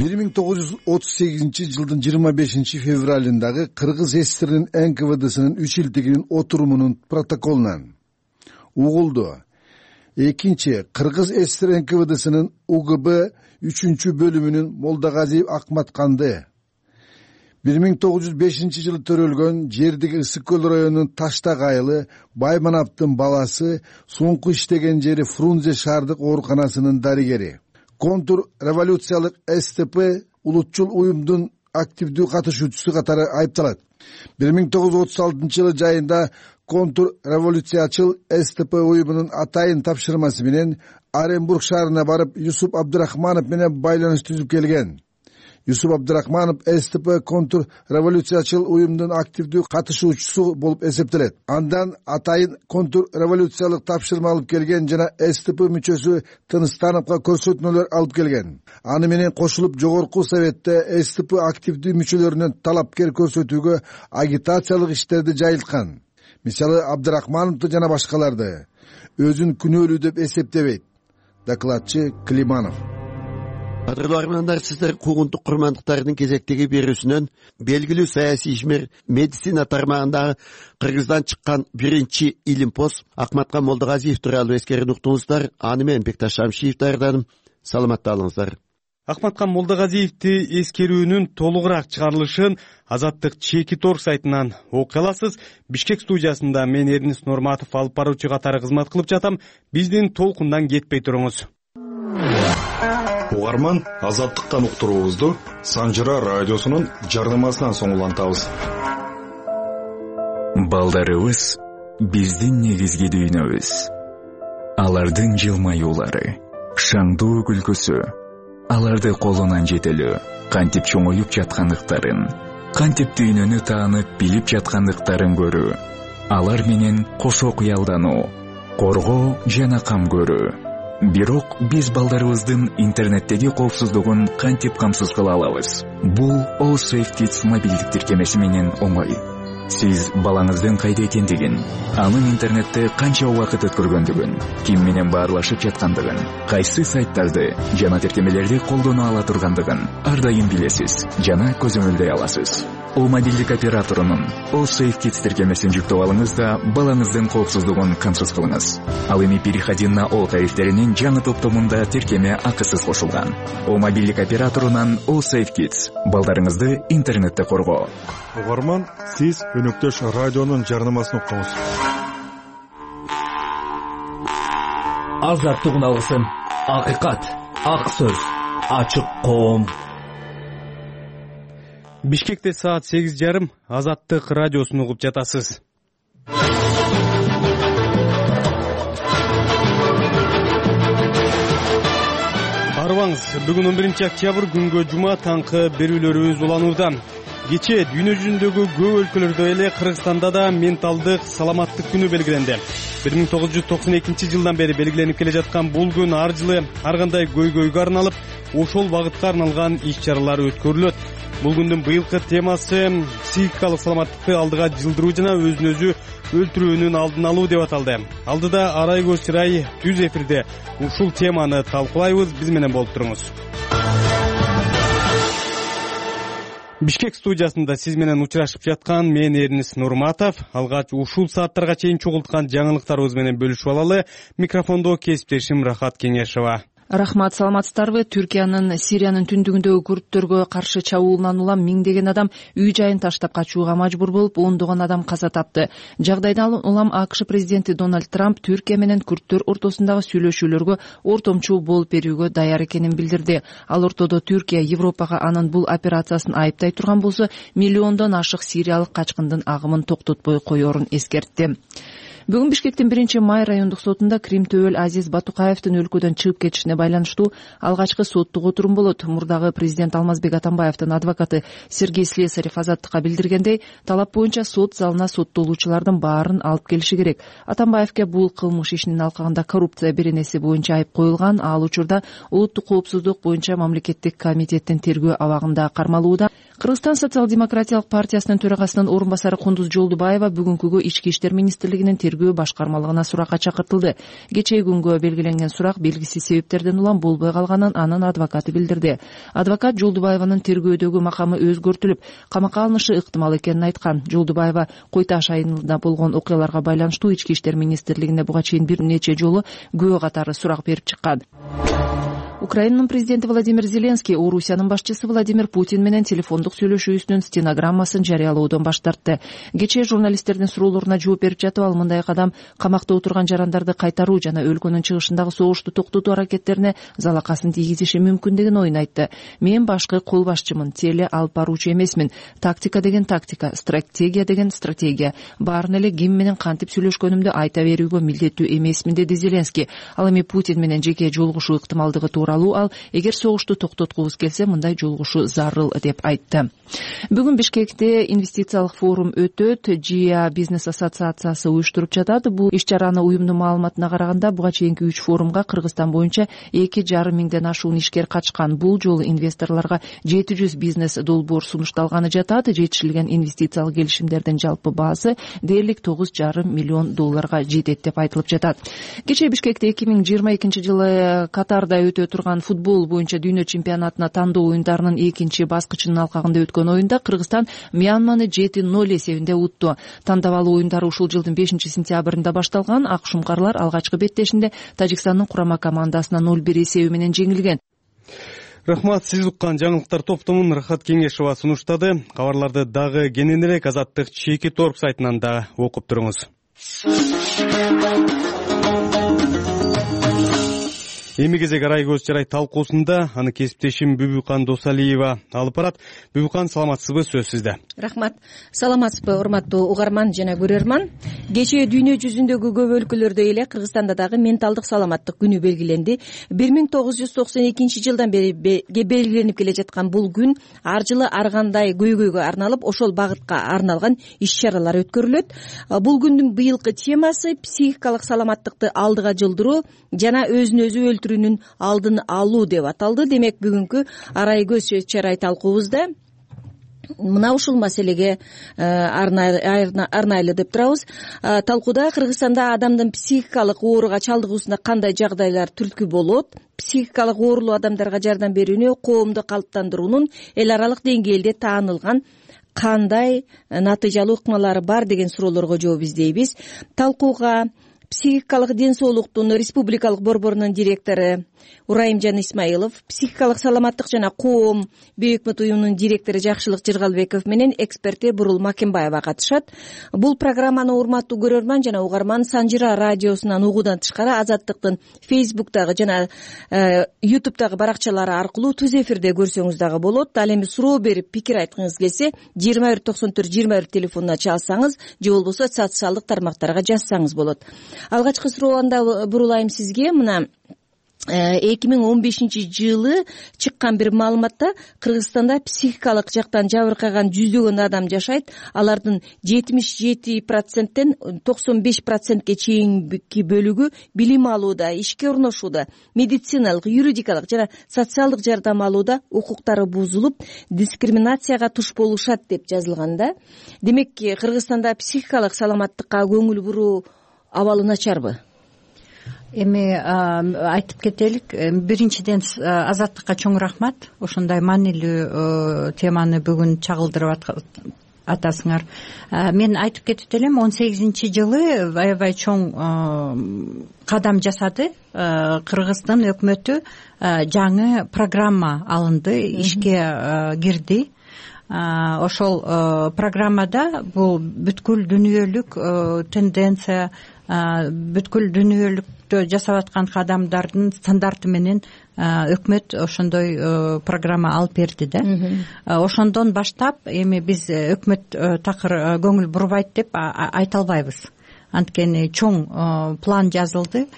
бир миң тогуз жүз отуз сегизинчи жылдын жыйырма бешинчи февралындагы Кыргыз ССРнин эн ка вэ дсынын үч илдигинин отурумунун протоколунан угулду. Экинчи Кыргыз ССР эн ка вэ дсынын У Г Б үчүнчү бөлүмүнүн Молдогазиев Акматканды бир миң тогуз жүз бешинчи жылы төрөлгөн жердиги Ысык көл районунун Таштак айылы Баймановдун баласы, соңку иштеген жери Фрунзе шаардык ооруканасынын дарыгери, контур революциялык С Т П улутчул уюмдун активдүү катышуучусу катары айыпталат. бир миң тогуз жүз отуз алтынчы жылы жайында контур революциячыл С Т П уюмунун атайын тапшырмасы менен Оренбург шаарына барып, Юсуп Абдрахманов менен байланыш түзүп келген. Юсуп Абдрахманов С Т П контур революциячыл уюмдун активдүү катышуучусу болуп эсептелет. Андан атайын контур революциялык тапшырма алып келген жана С Т П мүчөсү Тыныстановго көрсөтмөлөр алып келген. Аны менен кошулуп жогорку советте С Т П активдүү мүчөлөрүнөн талапкер көрсөтүүгө агитациялык иштерди жайылткан. Мисалы, Абдрахмановду жана башкаларды өзүн күнөөлүү деп эсептебейт. Докладчы Климанов. Кадырлуу армандар, сиздер куугунтук курмандыктардын кезектеги берүүсүнөн белгилүү саясий ишмер, медицина тармагындагы Кыргыздан чыккан биринчи илимпоз Акматкан Молдогазиев тууралуу эскерин уктуңуздар. Аны менен Бекташ Шамшиев даярдадым. Саламатта болуңуздар. Акматкан Молдогазиевди эскерүүнүн толугураак чыгарылышын Азаттык чеки тор сайтынан окуй аласыз. Бишкек студиясында мен Эрнест Норматов алып баруучу катары кызмат кылып жатам. Биздин толкундан кетпей туруңуз. Угарман, Азаттыктан уктуруубузду Санжыра радиосунун жарнамасынан соң улантабыз. Балдарыбыз биздин негизги дүйнөбүз. Алардын жылмаюулары, шаңдуу күлкүсү, аларды колунан жетелөө, кантип чоңоюп жаткандыктарын, кантип дүйнөнү таанып билип жаткандыктарын көрүү, алар менен кошо кыялдануу, коргоо жана кам көрүү. Бирок биз балдарыбыздын интернеттеги коопсуздугун кантип камсыз кыла алабыз? Бул All Safe Kids мобилдик тиркемеси менен оңой. Сиз балаңыздын кайда экендигин, анын интернетте канча убакыт өткөргөндүгүн, ким менен баарлашып жаткандыгын, кайсы сайттарды жана тиркемелерди колдоно ала тургандыгын ар дайым билесиз жана көзөмөлдөй аласыз. О мобилдик операторунун All Safe Kids тиркемесин жүктөп алыңыз да балаңыздын коопсуздугун камсыз кылыңыз. Ал эми переходи на О тарифтеринин жаңы топтомунда тиркеме акысыз кошулган. О мобилдик операторунан All Safe Kids. Балдарыңызды интернетте коргоо. Угарман, сиз өнөктөш радионун жарнамасын уктуңуз. Азаттык алгысым, акыйкат, ак сөз, ачык коом. Бишкекте саат сегиз жарым Азаттык радиосун угуп жатасыз. Арыбаңыз, бүгүн он биринчи октябрь күнгө жума таңкы берүүлөрүбүз уланууда. Кече дүйнө жүзүндөгү көп өлкөлөрдө эле Кыргызстанда да менталдык саламаттык күнү белгиленди. бир миң тогуз жүз токсон экинчи жылдан бери белгиленип келе жаткан бул күн ар жылы ар кандай көйгөйгө арналып, ошол багытка арналган иш-чаралар өткөрүлөт. Бул күндүн быйылкы темасы психикалык саламаттыкты алдыга жылдыруу жана өзүн өзү өлтүрүүнүн алдын алуу деп аталды. Алдыда Арай көз чырай түз эфирде ушул теманы талкуулайбыз. Биз менен болуп туруңуз. Бишкек студиясында сиз менен учурашып жаткан мен Эрнис Нурматов. Алгач ушул сааттарга чейин чогулткан жаңылыктарыбыз менен бөлүшүп алалы. Микрофондо кесиптешим Рахат Кеңешова. Рахмат, саламатсыздарбы? Түркиянын Сириянын түндүгүндөгү курдтөргө каршы чабуулунан улам миңдеген адам үй жайын таштап качууга мажбур болуп, ондогон адам каза тапты. Жагдайдан улам АКШ президенти Дональд Трамп Түркия менен курдтөр ортосундагы сүйлөшүүлөргө ортомчу болуп берүүгө даяр экенин билдирди. Ал ортодо Түркия Европага анын бул операциясын айыптай турган болсо, миллиондон ашык сириялык качкындын агымын токтотпой коерун эскертти. Бүгүн Бишкектин биринчи май райондук сотунда Крим төбөл Азиз Батукаевдин өлкөдөн чыгып кетишине байланыштуу алгачкы соттук отурум болот. Мурдагы президент Алмазбек Атамбаевдин адвокаты Сергей Слесарев Азаттыкка билдиргендей, талап боюнча сот залына соттолуучулардын баарын алып келиши керек. Атамбаевге бул кылмыш ишинин алкагында коррупция беренеси боюнча айып коюлган. Ал учурда улуттук коопсуздук боюнча мамлекеттик комитеттин тергөө абагында кармалууда. Кыргызстан социал-демократиялык партиясынын төрагасынын орун басары Кундуз Жолдубаева бүгүнкүгө Ички иштер министрлигинин тергөө башкармалыгына суракка чакыртылды. Кечээ күнгө белгиленген сурак белгисиз себептерден улам болбой калганын анын адвокаты билдирди. Адвокат Жолдубаеванын тергөөдөгү макамы өзгөртүлүп, камакка алынышы ыктымал экенин айткан. Жолдубаева Кой Таш айылында болгон окуяларга байланыштуу Ички иштер министрлигине буга чейин бир нече жолу күбө катары сурак берип чыккан. Украинанын президенти Владимир Зеленский Орусиянын башчысы Владимир Путин менен телефондук сүйлөшүүсүнүн стенограммасын жарыялоодон баш тартты. Кечээ журналисттердин суроолоруна жооп берип жатып, ал мындай кадам камакта отурган жарандарды кайтаруу жана өлкөнүн чыгышындагы согушту токтотуу аракеттерине залакасын тийгизиши мүмкүн ойун айтты. Мен башкы кол башчымын, теле алып баруучу эмесмин. Тактика деген тактика, стратегия деген стратегия. Баарын эле ким менен кантип сүйлөшкөнүмдү айта берүүгө милдеттүү эмесмин, деди Зеленский. Ал эми Путин менен жеке жолугушуу ыктымалдыгы тууралуу ал эгер согушту токтоткубуз келсе мындай жолугушуу зарыл деп айтты. Бүгүн Бишкекте инвестициялык форум өтөт. Жия бизнес ассоциациясы уюштуруп жатат. Бул иш-чараны уюмдун маалыматына караганда буга чейинки үч форумга Кыргызстан боюнча эки жарым миңден ашуун ишкер катышкан. Бул жолу инвесторлорго жети жүз бизнес долбоор сунушталганы жатат. Жетишилген инвестициялык келишимдердин жалпы баасы дээрлик тогуз жарым миллион долларга жетет деп айтылып жатат. Кечээ Бишкекте эки миң жыйырма экинчи жылы Катарда өтө турган футбол боюнча дүйнө чемпионатына тандоо оюндарынын экинчи баскычынын алкагында өткөн оюнда Кыргызстан Мьянманы жети ноль эсебинде утту. Тандабалуу оюндар ушул жылдын бешинчи сентябрында башталган. Ак шумкарлар алгачкы беттешинде Тажикстандын курама командасына ноль бир эсеби менен жеңилген. Рахмат, сиз уккан жаңылыктар топтомун Рахат Кеңешова сунуштады. Кабарларды дагы кененирээк Азаттык чеки торп сайтынан да окуп туруңуз. эми кезек арай көз жарай талкуусунда аны кесиптешим Бүбүкан Досалиева алып барат. Бүбүкан, саламатсызбы? Сөз сизде. Рахмат. Саламатсызбы, урматтуу угарман жана көрөрман. Кечээ дүйнө жүзүндөгү көп өлкөлөрдө эле Кыргызстанда дагы менталдык саламаттык күнү белгиленди. бир миң тогуз жүз токсон экинчи жылдан бери белгиленип келе жаткан бул күн ар жылы ар кандай көйгөйгө арналып, ошол багытка арналган иш-чаралар өткөрүлөт. Бул күндүн быйылкы темасы психикалык саламаттыкты алдыга жылдыруу жана өзүн өзү өлтүрүүнүн алдын алуу деп аталды. Демек, бүгүнкү арай көз чарай талкуубузда мына ушул маселеге арнайлы деп турабыз. Талкууда Кыргызстанда адамдын психикалык ооруга чалдыгуусуна кандай жагдайлар түрткү болот, психикалык оорулуу адамдарга жардам берүүнү, коомду калыптандыруунун эл аралык деңгээлде таанылган кандай натыйжалуу ыкмалары бар деген суроолорго жооп издейбиз. Талкууга психикалык ден соолуктун республикалык борборунун директору Урайымжан Исмаилов, психикалык саламаттык жана коом бейөкмөт уюмунун директору Жакшылык Жыргалбеков менен эксперти Бурул Макенбаева катышат. Бул программаны урматтуу көрөрман жана угарман Санжыра радиосунан угуудан тышкары Азаттыктын Фейсбуктагы жана Ютубтагы баракчалары аркылуу түз эфирде көрсөңүз дагы болот. Ал эми суроо берип пикир айткыңыз келсе, жыйырма бир токсон төрт жыйырма бир телефонуна чалсаңыз же болбосо социалдык тармактарга жазсаңыз болот. Алгачкы суроомду бурулайм сизге. Мына эки миң он бешинчи жылы чыккан бир маалыматта Кыргызстанда психикалык жактан жабыркаган жүздөгөн адам жашайт. Алардын жетимиш жети проценттен токсон беш процентке чейинки бөлүгү билим алууда, ишке орношууда, медициналык, юридикалык жана социалдык жардам алууда укуктары бузулуп, дискриминацияга туш болушат деп жазылган да. Демек, Кыргызстанда психикалык саламаттыкка көңүл буруу абалы начарбы? Эми айтып кетелик, биринчиден Азаттыкка чоң рахмат, ошондой маанилүү теманы бүгүн чагылдырып атасыңар. Мен айтып кетип элем, он сегизинчи жылы аябай чоң кадам жасады Кыргыздын өкмөтү, жаңы программа алынды, ишке кирди. Ошол программада бул бүткүл дүйнөлүк тенденция, бүткүл дүйнөлүктө жасап аткан кадамдардын стандарты менен өкмөт ошондой программа алып берди да. Ошондон баштап эми биз өкмөт такыр көңүл бурбайт деп айта албайбыз. Анткени чоң план жазылды.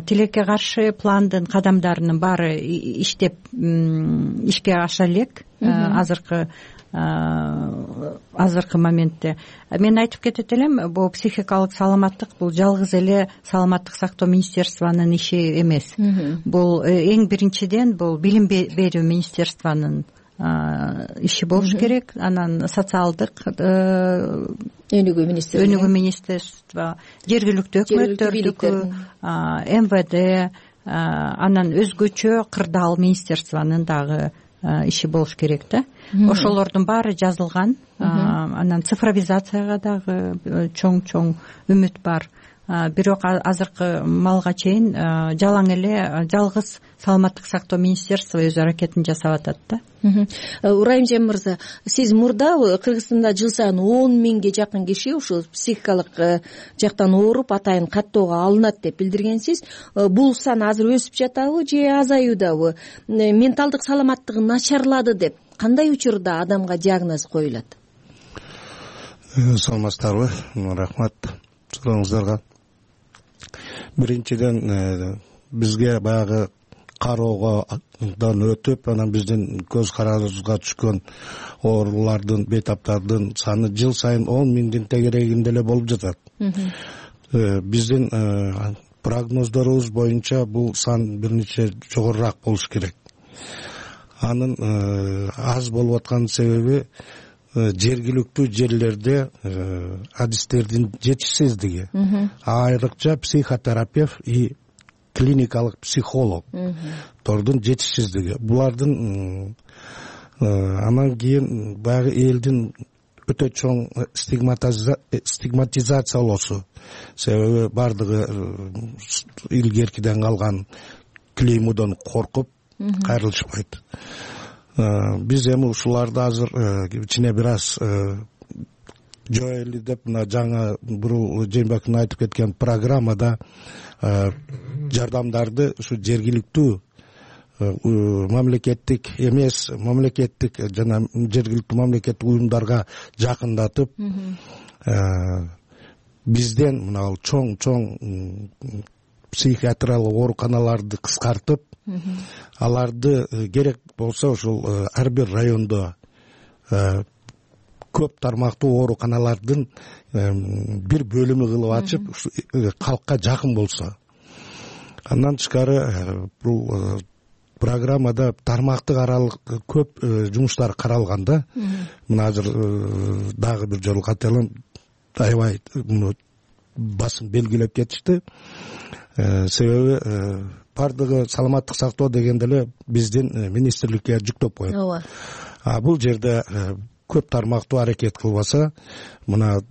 Тилекке каршы пландын кадамдарынын баары иштеп ишке аша элек азыркы азыркы моментте. Мен айтып кетет элем, бул психикалык саламаттык бул жалгыз эле саламаттык сактоо министерствонун иши эмес. Бул эң биринчиден бул билим берүү министерствонун иши болуш керек. Анан социалдык өнүгүү министрлиги, өнүгүү министерство, жергиликтүү өкмөттөрдүкү, эм вэ дэ, анан өзгөчө кырдаал министерствонун дагы иши болуш керек да. Ошолордун баары жазылган. Анан цифровизацияга дагы чоң-чоң үмүт бар. Бирок азыркы малга чейин жалаң эле жалгыз саламаттык сактоо министерство өз аракетин жасап атат да. Урайымжан мырза, сиз мурда Кыргызстанда жыл сайын он миңге жакын киши ушул психикалык жактан ооруп, атайын каттоого алынат деп билдиргенсиз. Бул сан азыр өсүп жатабы же азаюудабы? Менталдык саламаттыгы начарлады деп кандай учурда адамга диагноз коюлат? Саламатсыздарбы? Рахмат сурооңуздарга. Биринчиден бизге баягы кароодон өтүп, анан биздин көз карандыбызга түшкөн оорулардын, бейтаптардын саны жыл сайын он миңдин тегерегинде эле болуп жатат. Биздин прогноздорубуз боюнча бул сан бир нече жогорураак болуш керек. Анын аз болуп аткан себеби жергиликтүү жерлерде адистердин жетишсиздиги, айрыкча психотерапевт и клиникалык психологтордун жетишсиздиги. Булардын анан кийин баягы элдин өтө чоң стигматизациялоосу, себеби бардыгы илгеркиден калган клеймодон коркуп кайрылышпайт. Биз эми ушуларды азыр кичине бир аз жок эле деп мына жаңы бурул Жээнбековдун айтып кеткен программада жардамдарды ушу жергиликтүү мамлекеттик эмес мамлекеттик жана жергиликтүү мамлекеттик уюмдарга жакындатып бизден мына чоң чоң психиатриялык ооруканаларды кыскартып аларды керек болсо ушул ар бир райондо көп тармактуу ооруканалардын бир бөлүмү кылып ачып калкка жакын болсо. Андан тышкары бул программада тармактык аралык көп жумуштар каралган да. Мына азыр дагы бир жолу кайталам, аябай басым белгилеп кетишти. Себеби бардыгы саламаттык сактоо дегенде эле биздин министрликке жүктөп коет. Ооба. А бул жерде көп тармактуу аракет кылбаса, мына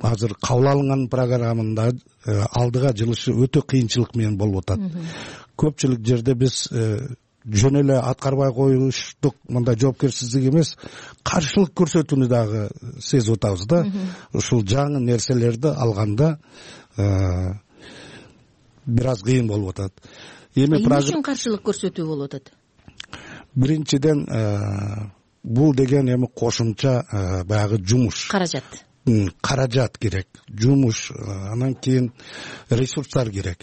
азыр кабыл алынган программада алдыга жылышы өтө кыйынчылык менен болуп атат. Көпчүлүк жерде биз жөн эле аткарбай коюштук мындай жоопкерчилик эмес, каршылык көрсөтүүнү дагы сезип атабыз да. Ушул жаңы нерселерди алганда бир аз кыйын болуп атат. Эми эмне үчүн каршылык көрсөтүү болуп атат? Биринчиден бул деген эми кошумча баягы жумуш. Каражат. Каражат керек, жумуш, анан кийин ресурстар керек.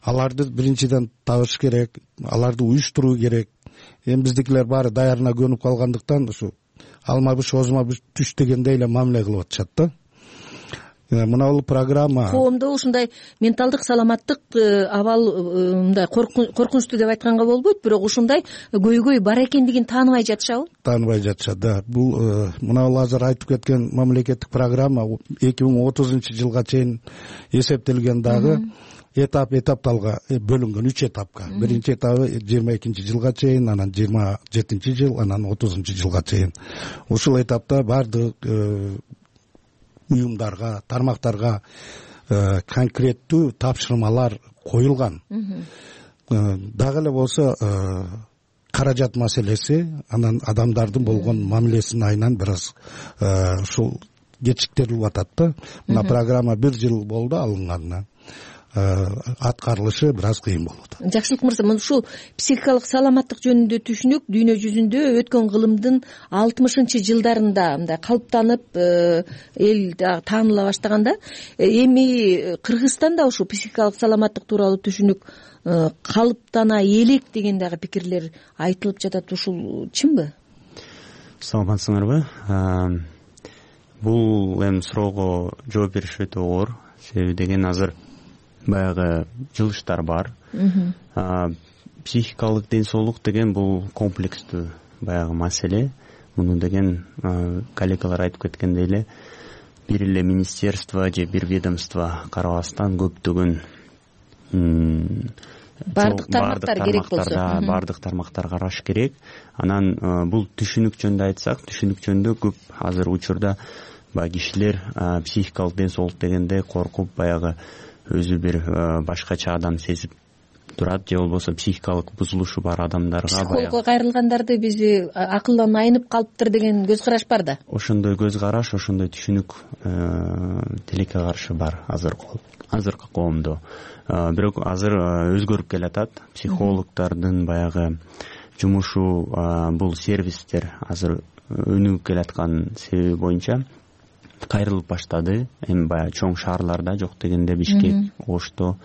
Аларды биринчиден табыш керек, аларды уюштуруу керек. Эми биздикилер баары даярына көнүп калгандыктан ушу алма быш, озма быш түш дегендей эле мамиле кылып атышат да. Мына бул программа коомдо ушундай менталдык саламаттык абал мындай коркунучтуу деп айтканга болбойт, бирок ушундай көйгөй бар экендигин тааныбай жатышабы? Тааныбай жатышат да. Бул мына бул азыр айтып кеткен мамлекеттик программа эки миң отузунчу жылга чейин эсептелген дагы этап этапталга бөлүнгөн, үч этапка. Биринчи этабы жыйырма экинчи жылга чейин, анан жыйырма жетинчи жыл, анан отузунчу жылга чейин. Ушул этапта бардык уюмдарга, тармактарга конкреттүү тапшырмалар коюлган. Дагы эле болсо каражат маселеси, анан адамдардын болгон мамилесинин айынан бир аз ушул кечиктирилип атат да. Мына программа бир жыл болду алынганына. Аткарылышы бир аз кыйын болот. Жакшылык мырза, мына ушул психикалык саламаттык жөнүндө түшүнүк дүйнө жүзүндө өткөн кылымдын алтымышынчы жылдарында мындай калыптанып эл тааныла баштаганда, эми Кыргызстанда ушул психикалык саламаттык тууралуу түшүнүк калыптана элек деген дагы пикирлер айтылып жатат. Ушул чынбы? Саламатсыңарбы? Бул эми суроого жооп бериш өтө оор. Себеби деген азыр баягы жылыштар бар. Психикалык ден соолук деген бул комплекстүү баягы маселе. Муну деген коллегалар айтып кеткендей эле бир эле министерство же бир ведомство карабастан көптөгөн бардык тармактар керек болсо, бардык тармактар караш керек. Анан бул түшүнүк жөнүндө айтсак, түшүнүк жөнүндө көп азыр учурда баягы кишилер психикалык ден соолук дегенде коркуп баягы өзү бир башкача адам сезип турат, же болбосо психикалык бузулушу бар адамдарга психологко кайрылгандарды бизи акылдан айнып калыптыр деген көз караш бар да. Ошондой көз караш, ошондой түшүнүк тилекке каршы бар азыркы азыркы коомдо. Бирок азыр өзгөрүп келатат. Психологдордун баягы жумушу, бул сервистер азыр өнүгүп келаткан себеби боюнча кайрылып баштады. Эми баягы чоң шаарларда, жок дегенде Бишкек, Ошто.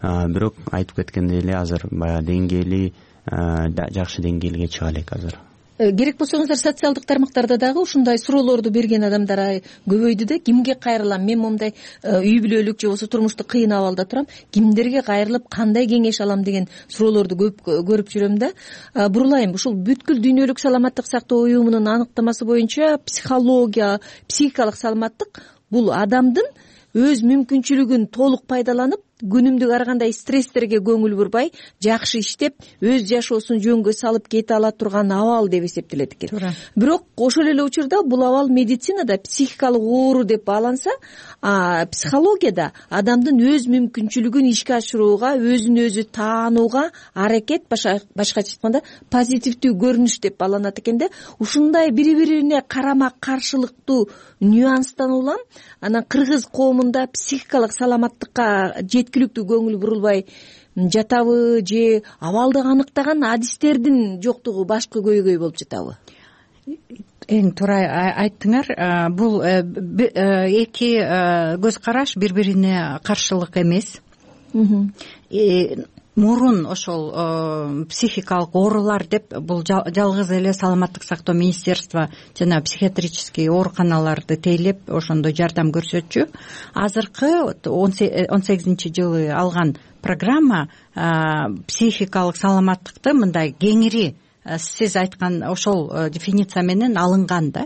Бирок айтып кеткендей эле азыр баягы деңгээли жакшы деңгээлге чыга элек азыр. Керек болсоңуздар социалдык тармактарда дагы ушундай суроолорду берген адамдар көбөйдү да. Кимге кайрылам? Мен момундай үй бүлөлүк же болбосо турмуштук кыйын абалда турам. Кимдерге кайрылып, кандай кеңеш алам деген суроолорду көп көрүп жүрөм да. Бурулайм, ушул бүткүл дүйнөлүк саламаттык сактоо уюмунун аныктамасы боюнча психология, психикалык саламаттык бул адамдын өз мүмкүнчүлүгүн толук пайдаланып, күнүмдүк ар кандай стресстерге көңүл бурбай жакшы иштеп өз жашоосун жөнгө салып кете ала турган абал деп эсептелет экен. Туура. Бирок ошол эле учурда бул абал медицинада психикалык оору деп бааланса, психологияда адамдын өз мүмкүнчүлүгүн ишке ашырууга, өзүн өзү таанууга аракет, башкача айтканда позитивдүү көрүнүш деп бааланат экен да. Ушундай бири бирине карама каршылыктуу нюанстан улам анан кыргыз коомунда психикалык саламаттыкка жеткиликтүү көңүл бурулбай жатабы же абалды аныктаган адистердин жоктугу башкы көйгөй болуп жатабы? Эң туура айттыңар. Бул эки көз караш бири бирине каршылык эмес. Мурун ошол психикалык оорулар деп бул жалгыз эле саламаттык сактоо министерство жана психиатрический ооруканаларды тейлеп ошондой жардам көрсөтчү. Азыркы он сегизинчи жылы алган программа психикалык саламаттыкты мындай кеңири сиз айткан ошол дефиниция менен алынган да.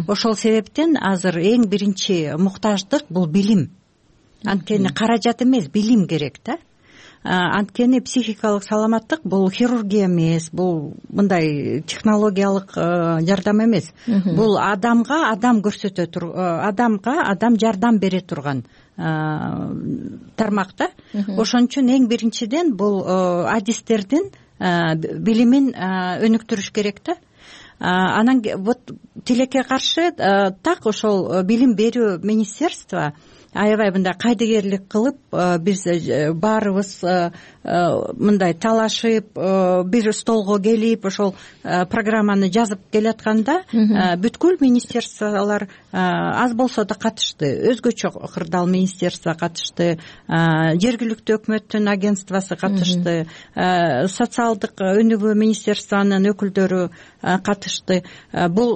Ошол себептен азыр эң биринчи муктаждык бул билим. Анткени каражат эмес, билим керек да. Анткени психикалык саламаттык бул хирургия эмес, бул мындай технологиялык жардам эмес. Бул адамга адам көрсөтө тур, адамга адам жардам бере турган тармак да. Ошон үчүн эң биринчиден бул адистердин билимин өнүктүрүш керек да. Анан вот тилекке каршы так ошол билим берүү министерство аябай мындай кайдыгерлик кылып биз баарыбыз мындай талашып бир столго келип ошол программаны жазып келатканда бүткүл министерстволор аз болсо да катышты. Өзгөчө кырдаал министерство катышты, жергиликтүү өкмөттүн агентствосу катышты, социалдык өнүгүү министерствонун өкүлдөрү катышты. Бул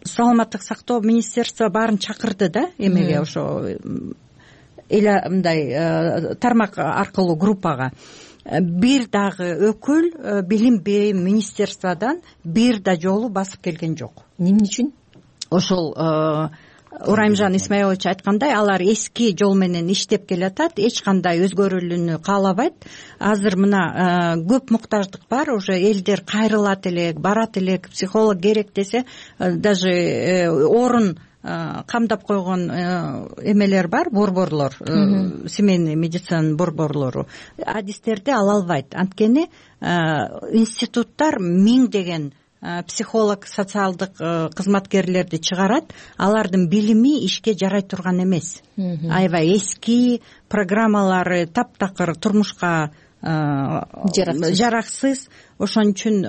саламаттык сактоо министерство баарын чакырды да эмеге, ошо эле мындай тармак аркылуу группага. Бир дагы өкүл билим берүү министерстводан бир да жолу басып келген жок. Эмне үчүн? Ошол Ураймжан Исмаилович айткандай, алар эски жол менен иштеп келатат, эч кандай өзгөрүүнү каалабайт. Азыр мына көп муктаждык бар, уже элдер кайрылат элек, барат элек, психолог керек десе, даже орун камдап койгон эмелер бар, борборлор, семейный медицинанын борборлору. Адистерди ала албайт. Анткени институттар миңдеген психолог, социалдык кызматкерлерди чыгарат, алардын билими ишке жарай турган эмес. Аябай эски программалары таптакыр, турмушка жараксыз. Ошон үчүн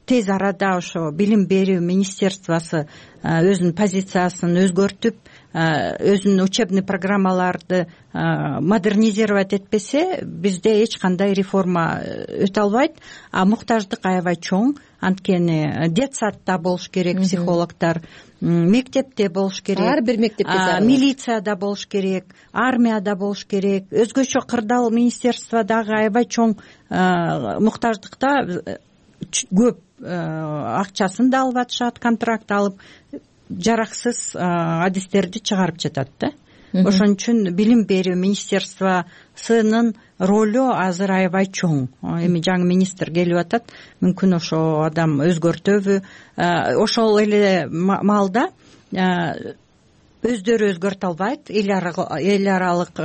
тез арада ошо билим берүү министерствосу өзүнүн позициясын өзгөртүп, өзүнүн учебный программаларды модернизировать этпесе, бизде эч кандай реформа өтө албайт. А муктаждык аябай чоң. Анткени детсадда болуш керек психологдор, мектепте болуш керек, ар бир мектепте, милицияда болуш керек, армияда болуш керек. Өзгөчө кырдаал министерство дагы аябай чоң муктаждыкта көп акчасын да алып атышат, контракт алып, жараксыз адистерди чыгарып жатат да. Ошон үчүн билим берүү министерствосунун ролу азыр аябай чоң. Эми жаңы министр келип атат, мүмкүн ошо адам өзгөртөбү. Ошол эле маалда өздөрү өзгөртө албайт, эл аралык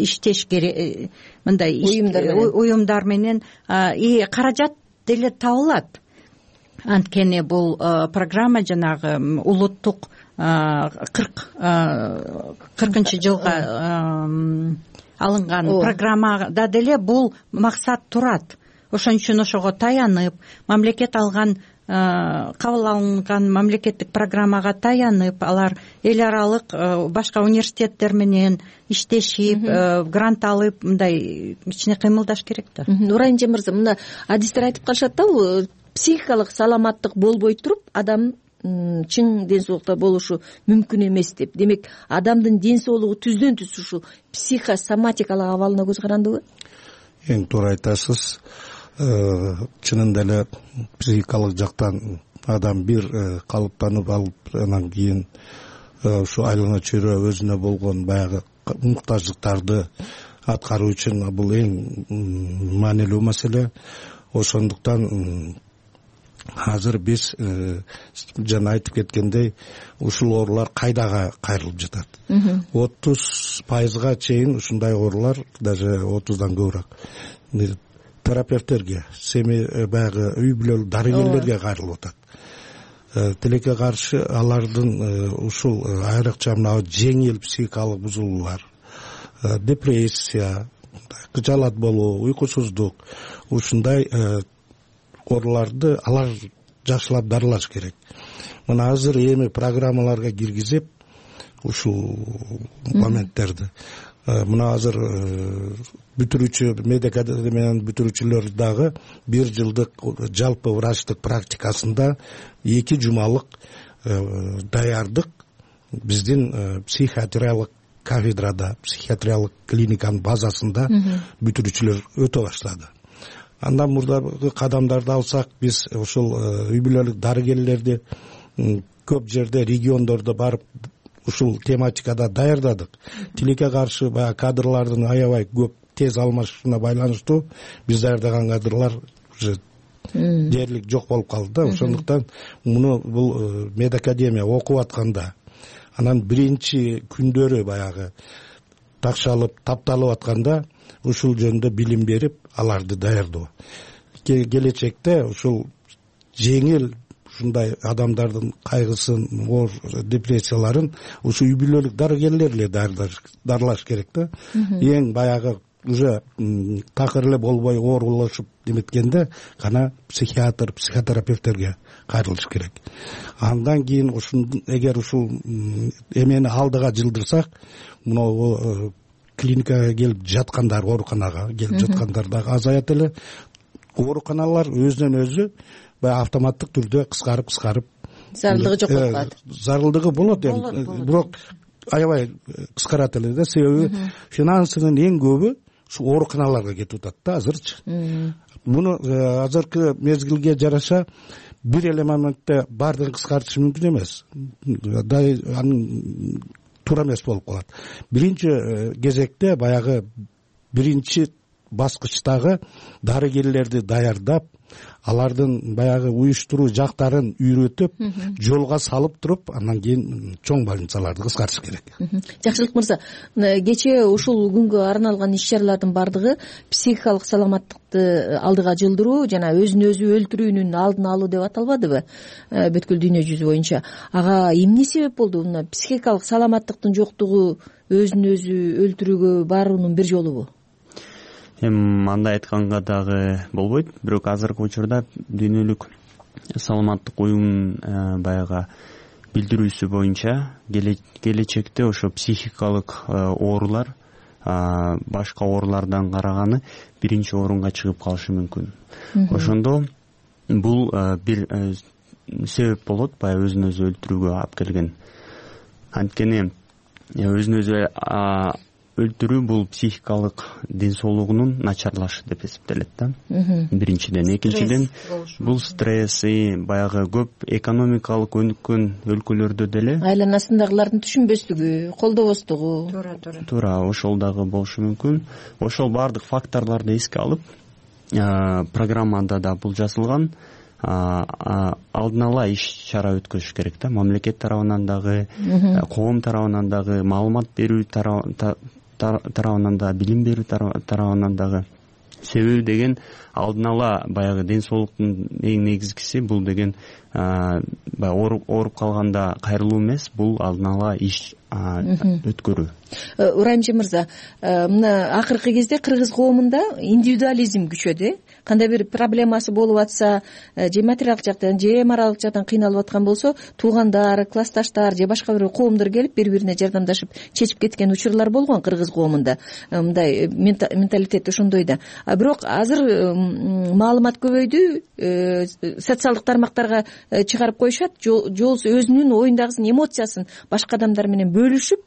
иштеш керек, мындай уюмдар менен каражат деле табылат. Анткени бул программа жанагы улуттук кыркынчы жылга алынган программада деле бул максат турат. Ошон үчүн ошого таянып, мамлекет алган кабыл алынган мамлекеттик программага таянып, алар эл аралык башка университеттер менен иштешип, грант алып, мындай кичине кыймылдаш керек да. Урайымжан мырза, мына адистер айтып калышат да, психикалык саламаттык болбой туруп адам чың ден соолукта болушу мүмкүн эмес деп. Демек, адамдын ден соолугу түздөн түз ушу психосоматикалык абалына көз карандыбы? Эң туура айтасыз. Чынында эле психикалык жактан адам бир калыптанып алып, анан кийин ушу айлана чөйрө өзүнө болгон баягы муктаждыктарды аткаруу үчүн бул эң маанилүү маселе. Ошондуктан азыр биз жана айтып кеткендей ушул оорулар кайдага кайрылып жатат. отуз пайызга чейин ушундай оорулар, даже отуздан көбүрөөк терапевттерге, семья баягы үй бүлөлүк дарыгерлерге кайрылып атат. Тилекке каршы алардын ушул айрыкча мына жеңил психикалык бузулуулар, депрессия, кыжаалат болуу, уйкусуздук, ушундай ооруларды алар жакшылап дарылаш керек. Мына азыр эми программаларга киргизип ушул моменттерди, мына азыр бүтүрүүчү медика менен бүтүрүүчүлөр дагы бир жылдык жалпы врачтык практикасында эки жумалык даярдык биздин психиатриялык кафедрада, психиатриялык клиниканын базасында бүтүрүүчүлөр өтө баштады. Андан мурдагы кадамдарды алсак, биз ушул үй бүлөлүк дарыгерлерди көп жерде, региондордо барып ушул тематикада даярдадык. Тилекке каршы баягы кадрлардын аябай көп тез алмашуусуна байланыштуу биз даярдаган кадрлар уже дээрлик жок болуп калды да. Ошондуктан муну бул медакадемия окуп атканда, анан биринчи күндөрү баягы такшалып, тапталып атканда ушул жөнүндө билим берип, аларды даярдоо. Келечекте ушул жеңил ушундай адамдардын кайгысын, оор депрессияларын ушу үй бүлөлүк дарыгерлер эле дарылаш керек да. Эң баягы уже такыр эле болбой оорулашып деметкенде гана психиатр, психотерапевттерге кайрылыш керек. Андан кийин ушун эгер ушул эмени алдыга жылдырсак, мына клиникага келип жаткандар, ооруканага келип жаткандар дагы азаят эле. Ооруканалар өзүнөн өзү баягы автоматтык түрдө кыскарып кыскарып зарылдыгы жок болуп калат. Зарылдыгы болот эми, бирок аябай кыскарат эле да. Себеби финансынын эң көбү ушу ооруканаларга кетип атат да азырчы. Муну азыркы мезгилге жараша бир эле моментте баардыгын кыскартыш мүмкүн эмес. Анын туура эмес болуп калат. Биринчи кезекте баягы биринчи баскычтагы дарыгерлерди даярдап, алардын баягы уюштуруу жактарын үйрөтүп, жолго салып туруп, андан кийин чоң больницаларды кыскартыш керек. Жакшылык мырза, кечээ ушул күнгө арналган иш-чаралардын бардыгы психикалык саламаттыкты алдыга жылдыруу жана өзүн өзү өлтүрүүнүн алдын алуу деп аталбадыбы бүткүл дүйнө жүзү боюнча? Ага эмне себеп болду? Мына психикалык саламаттыктын жоктугу өзүн өзү өлтүрүүгө баруунун бир жолубу? Эми андай айтканга дагы болбойт, бирок азыркы учурда дүйнөлүк саламаттык уюмунун баягы билдирүүсү боюнча келечекте ошо психикалык оорулар башка оорулардан караганы биринчи орунга чыгып калышы мүмкүн. Ошондо бул бир себеп болот, баягы өзүн өзү өлтүрүүгө алып келген. Анткени өзүн өзү өлтүрүү бул психикалык ден соолугунун начарлашы деп эсептелет да. Биринчиден, экинчиден бул стресси, баягы көп экономикалык өнүккөн өлкөлөрдө деле айланасындагылардын түшүнбөстүгү, колдобостугу. Туура, туура. Туура, ошол дагы болушу мүмкүн. Ошол баардык факторлорду эске алып, программада да бул жазылган. Алдын ала иш-чара өткөзүш керек да. Мамлекет тарабынан дагы, коом тарабынан дагы, маалымат берүү тарабынан да, билим берүү тарабынан дагы. Себеби деген алдын ала баягы ден соолуктун эң негизгиси бул деген ооруп калганда кайрылуу эмес, бул алдын ала иш өткөрүү. Уранжи мырза, мына акыркы кезде кыргыз коомунда индивидуализм күчөдү э? Кандай бир проблемасы болуп атса, же материалдык жактан, же моралдык жактан кыйналып аткан болсо, туугандар, классташтар же башка бир коомдор келип бири-бирине жардамдашып чечип кеткен учурлар болгон кыргыз коомунда. Мындай менталитет ошондой да. Бирок азыр маалымат көбөйдү, социалдык тармактарга чыгарып коюшат, жолсу өзүнүн оюндагысын, эмоциясын башка адамдар менен бөлүшүп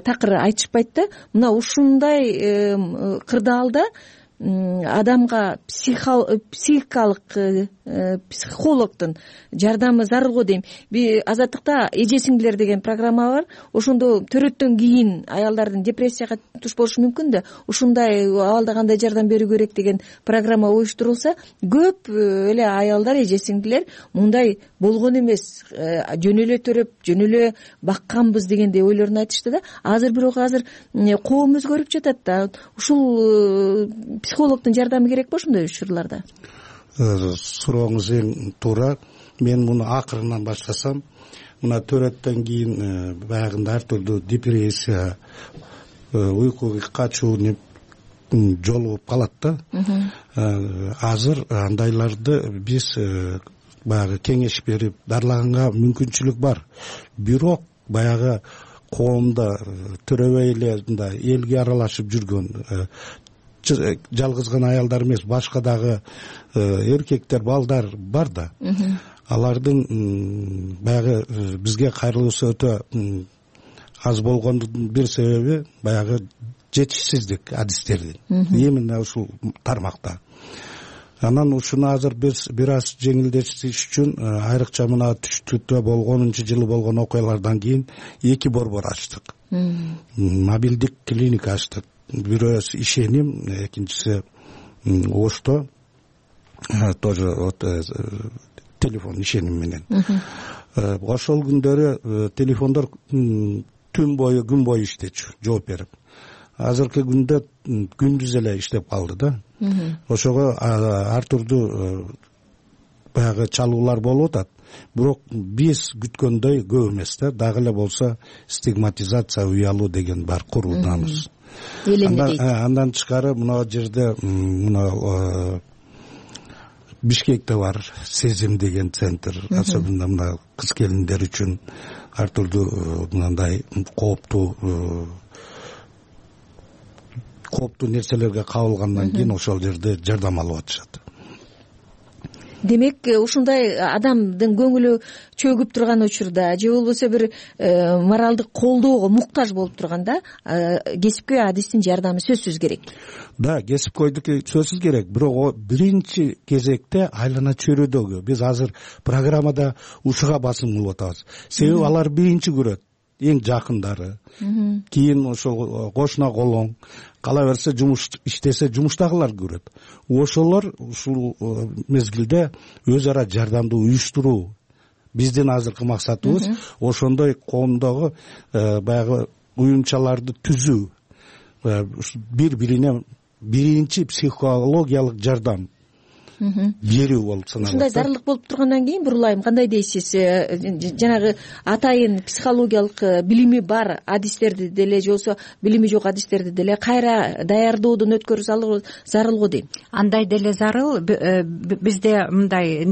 такыр айтышпайт да. Мына ушундай кырдаалда адамга психикалык психологдун жардамы зарыл го дейм. Азаттыкта эже сиңдилер деген программа бар. Ошондо төрөттөн кийин аялдардын депрессияга туш болушу мүмкүн да, ушундай абалда кандай жардам берүү керек деген программа уюштурулса, көп эле аялдар, эже сиңдилер мындай болгон эмес, жөн эле төрөп, жөн эле бакканбыз дегендей ойлорун айтышты да. Азыр бирок азыр коом өзгөрүп жатат да. Ушул психологдун жардамы керекпи ошондой учурларда? Сурооңуз эң туура. Мен муну акырынан баштасам, мына төрөттөн кийин баягында ар түрдүү депрессия, уйкуга качуу жолугуп калат да. Азыр андайларды биз баягы кеңеш берип дарлаганга мүмкүнчүлүк бар. Бирок баягы коомдо төрөбөй эле мындай элге аралашып жүргөн, жалгыз гана аялдар эмес, башка дагы эркектер, балдар бар да. Алардын баягы бизге кайрылуусу өтө аз болгондун бир себеби баягы жетишсиздик адистердин именно ушул тармакта. Анан ушуну азыр биз бир аз жеңилдетиш үчүн айрыкча мына түштүктө болгонунчу жылы болгон окуялардан кийин эки борбор ачтык. Мобилдик клиника ачтык. Бирөөсү ишеним, экинчиси Ошто, тоже вот телефон ишеним менен. Ошол күндөрү телефондор түн бою, күн бою иштечү, жооп берип. Азыркы күндө күндүз эле иштеп калды да. Ошого ар түрдүү баягы чалуулар болуп атат. Бирок биз күткөндөй көп эмес да. Дагы эле болсо стигматизация, уялуу деген бар, курулданыбыз. Андан тышкары мына жерде мына Бишкекте бар Сезим деген центр, особенно мына кыз келиндер үчүн ар түрдүү мындай кооптуу кооптуу нерселерге кабылгандан кийин ошол жерде жардам алып атышат. Демек, ушундай адамдын көңүлү чөгүп турган учурда же болбосо бир моралдык колдоого муктаж болуп турганда кесипкөй адистин жардамы сөзсүз керек. Да, кесипкөйдүкү сөзсүз керек. Бирок биринчи кезекте айлана чөйрөдөгү биз азыр программада ушуга басым кылып атабыз. Себеби алар биринчи көрөт, эң жакындары. Кийин ошол кошуна колоң, кала берсе жумуш иштесе жумуштагылар көрөт. Ошолор ушул мезгилде өз ара жардамды уюштуруу. Биздин азыркы максатыбыз ошондой коомдогу баягы уюмчаларды түзүү. Бири-бирине биринчи психологиялык жардам берүү болуп саналат. Ушундай зарылдык болуп тургандан кийин бурулайм, кандай дейсиз? Жанагы атайын психологиялык билими бар адистерди деле же болбосо билими жок адистерди деле кайра даярдоодон өткөрүү зарыл го дейм. Андай деле зарыл. Бизде мындай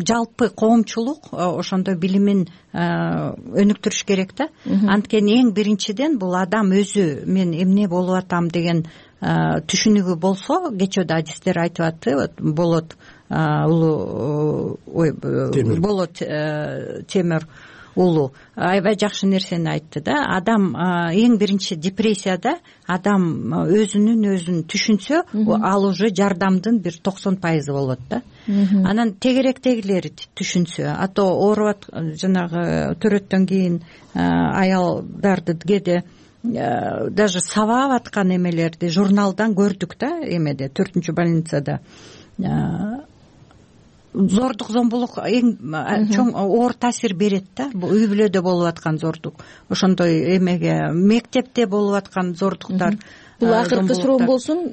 жалпы коомчулук ошондой билимин өнүктүрүш керек да. Анткени эң биринчиден бул адам өзү мен эмне болуп атам деген түшүнүгү болсо, кечөөдө адистер айтып атты, болот улуу ой болот темир улуу аябай жакшы нерсени айтты да. Адам эң биринчи депрессияда адам өзүнүн өзүн түшүнсө, ал уже жардамдын бир токсон пайызы болот да. Анан тегеректегилери түшүнсө, а то ооруп жанагы төрөттөн кийин аялдарды кээде даже сабап аткан эмелерди журналдан көрдүк да, эмеде төртүнчү больницада. Зордук, зомбулук эң чоң оор таасир берет да. Бул үй бүлөдө болуп аткан зордук, ошондой эмеге мектепте болуп аткан зордуктар. Бул акыркы суроом болсун,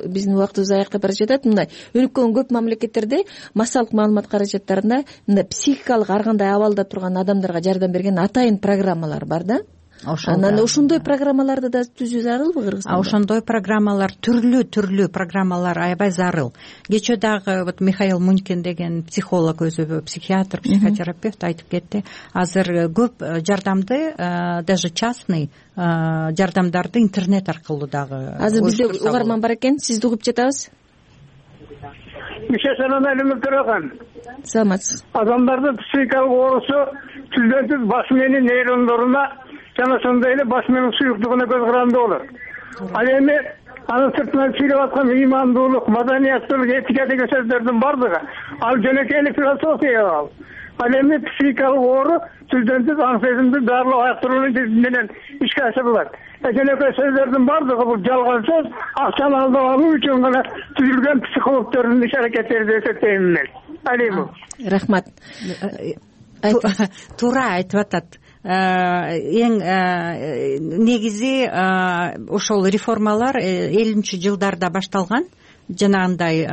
биздин убактыбыз аякка бара жатат. Мындай өнүккөн көп мамлекеттерде массалык маалымат каражаттарында мындай психикалык ар кандай абалда турган адамдарга жардам берген атайын программалар бар да. Анан ошондой программаларды да түзүү зарылбы Кыргызстанда? Ошондой программалар, түрлүү түрлүү программалар аябай зарыл. Кечээ дагы вот Михаил Мунькин деген психолог, өзү психиатр, психотерапевт айтып кетти. Азыр көп жардамды, даже частный жардамдарды интернет аркылуу дагы. Азыр бизде угарман бар экен, сизди угуп жатабыз. Мишесанан элемет турган. Саламатсыз. Адамдардын психикалык оорусу түздөн түз баш менен нейрондоруна жана ошондой эле баш менен суюктугуна көз каранды болот. Ал эми анын сыртынан сүйлөп аткан ыймандуулук, маданияттуулук, этика деген сөздөрдүн бардыгы ал жөнөкөй философия ал. Ал эми психикалык оору түздөн түз аң сезимди дарылап аяктыруу менен ишке ашырылат. Жөнөкөй сөздөрдүн бардыгы бул жалган сөз, акчаны алдап алуу үчүн гана түзүлгөн психологдордун иш аракеттери деп эсептейм мен. Алимов. Рахмат. Туура айтып атат. Эң негизи ошол реформалар элүүнчү жылдарда башталган, жанагындай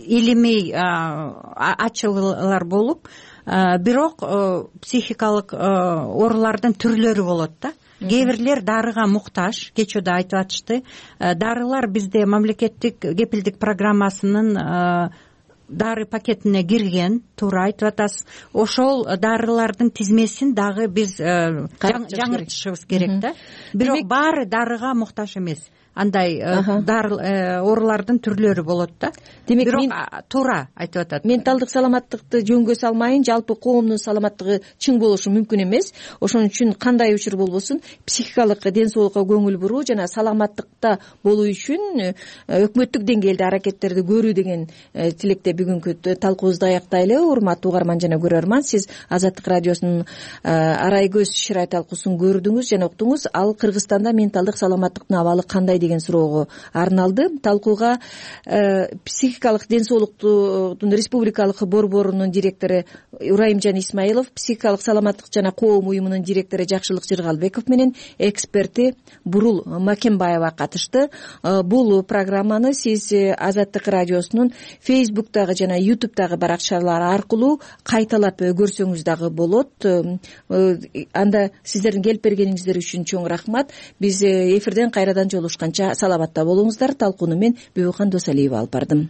илимий ачылуулар болуп, бирок психикалык оорулардын түрлөрү болот да. Кээ бирлер дарыга муктаж, кечээ да айтып атышты. Дарылар бизде мамлекеттик кепилдик программасынын дары пакетине кирген, туура айтып атасыз. Ошол дарылардын тизмесин дагы биз жаңыртышыбыз керек да. Бирок баары дарыга муктаж эмес. Андай оорулардын түрлөрү болот да. Демек, бирок туура айтып атат. Менталдык саламаттыкты жөнгө салмайын, жалпы коомдун саламаттыгы чың болушу мүмкүн эмес. Ошон үчүн кандай учур болбосун, психикалык ден соолукка көңүл буруу жана саламаттыкта болуу үчүн өкмөттүк деңгээлде аракеттерди көрүү деген тилекте бүгүнкү талкуубузду аяктайлы. Урматтуу угарман жана көрөрман, сиз Азаттык радиосунун Арай көз шырай талкуусун көрдүңүз жана уктуңуз. Ал Кыргызстанда менталдык саламаттыктын абалы кандай деген суроого арналды. Талкууга психикалык ден соолуктун республикалык борборунун директору Урайымжан Исмаилов, психикалык саламаттык жана коом уюмунун директору Жакшылык Жыргалбеков менен эксперти Бурул Макенбаева катышты. Бул программаны сиз Азаттык радиосунун Фейсбуктагы жана Ютубтагы баракчалар аркылуу кайталап көрсөңүз дагы болот. Анда сиздердин келип бергениңиздер үчүн чоң рахмат. Биз эфирден кайрадан жолугушканча саламатта болуңуздар. Талкууну мен Бүбүкан Досалиева алып бардым.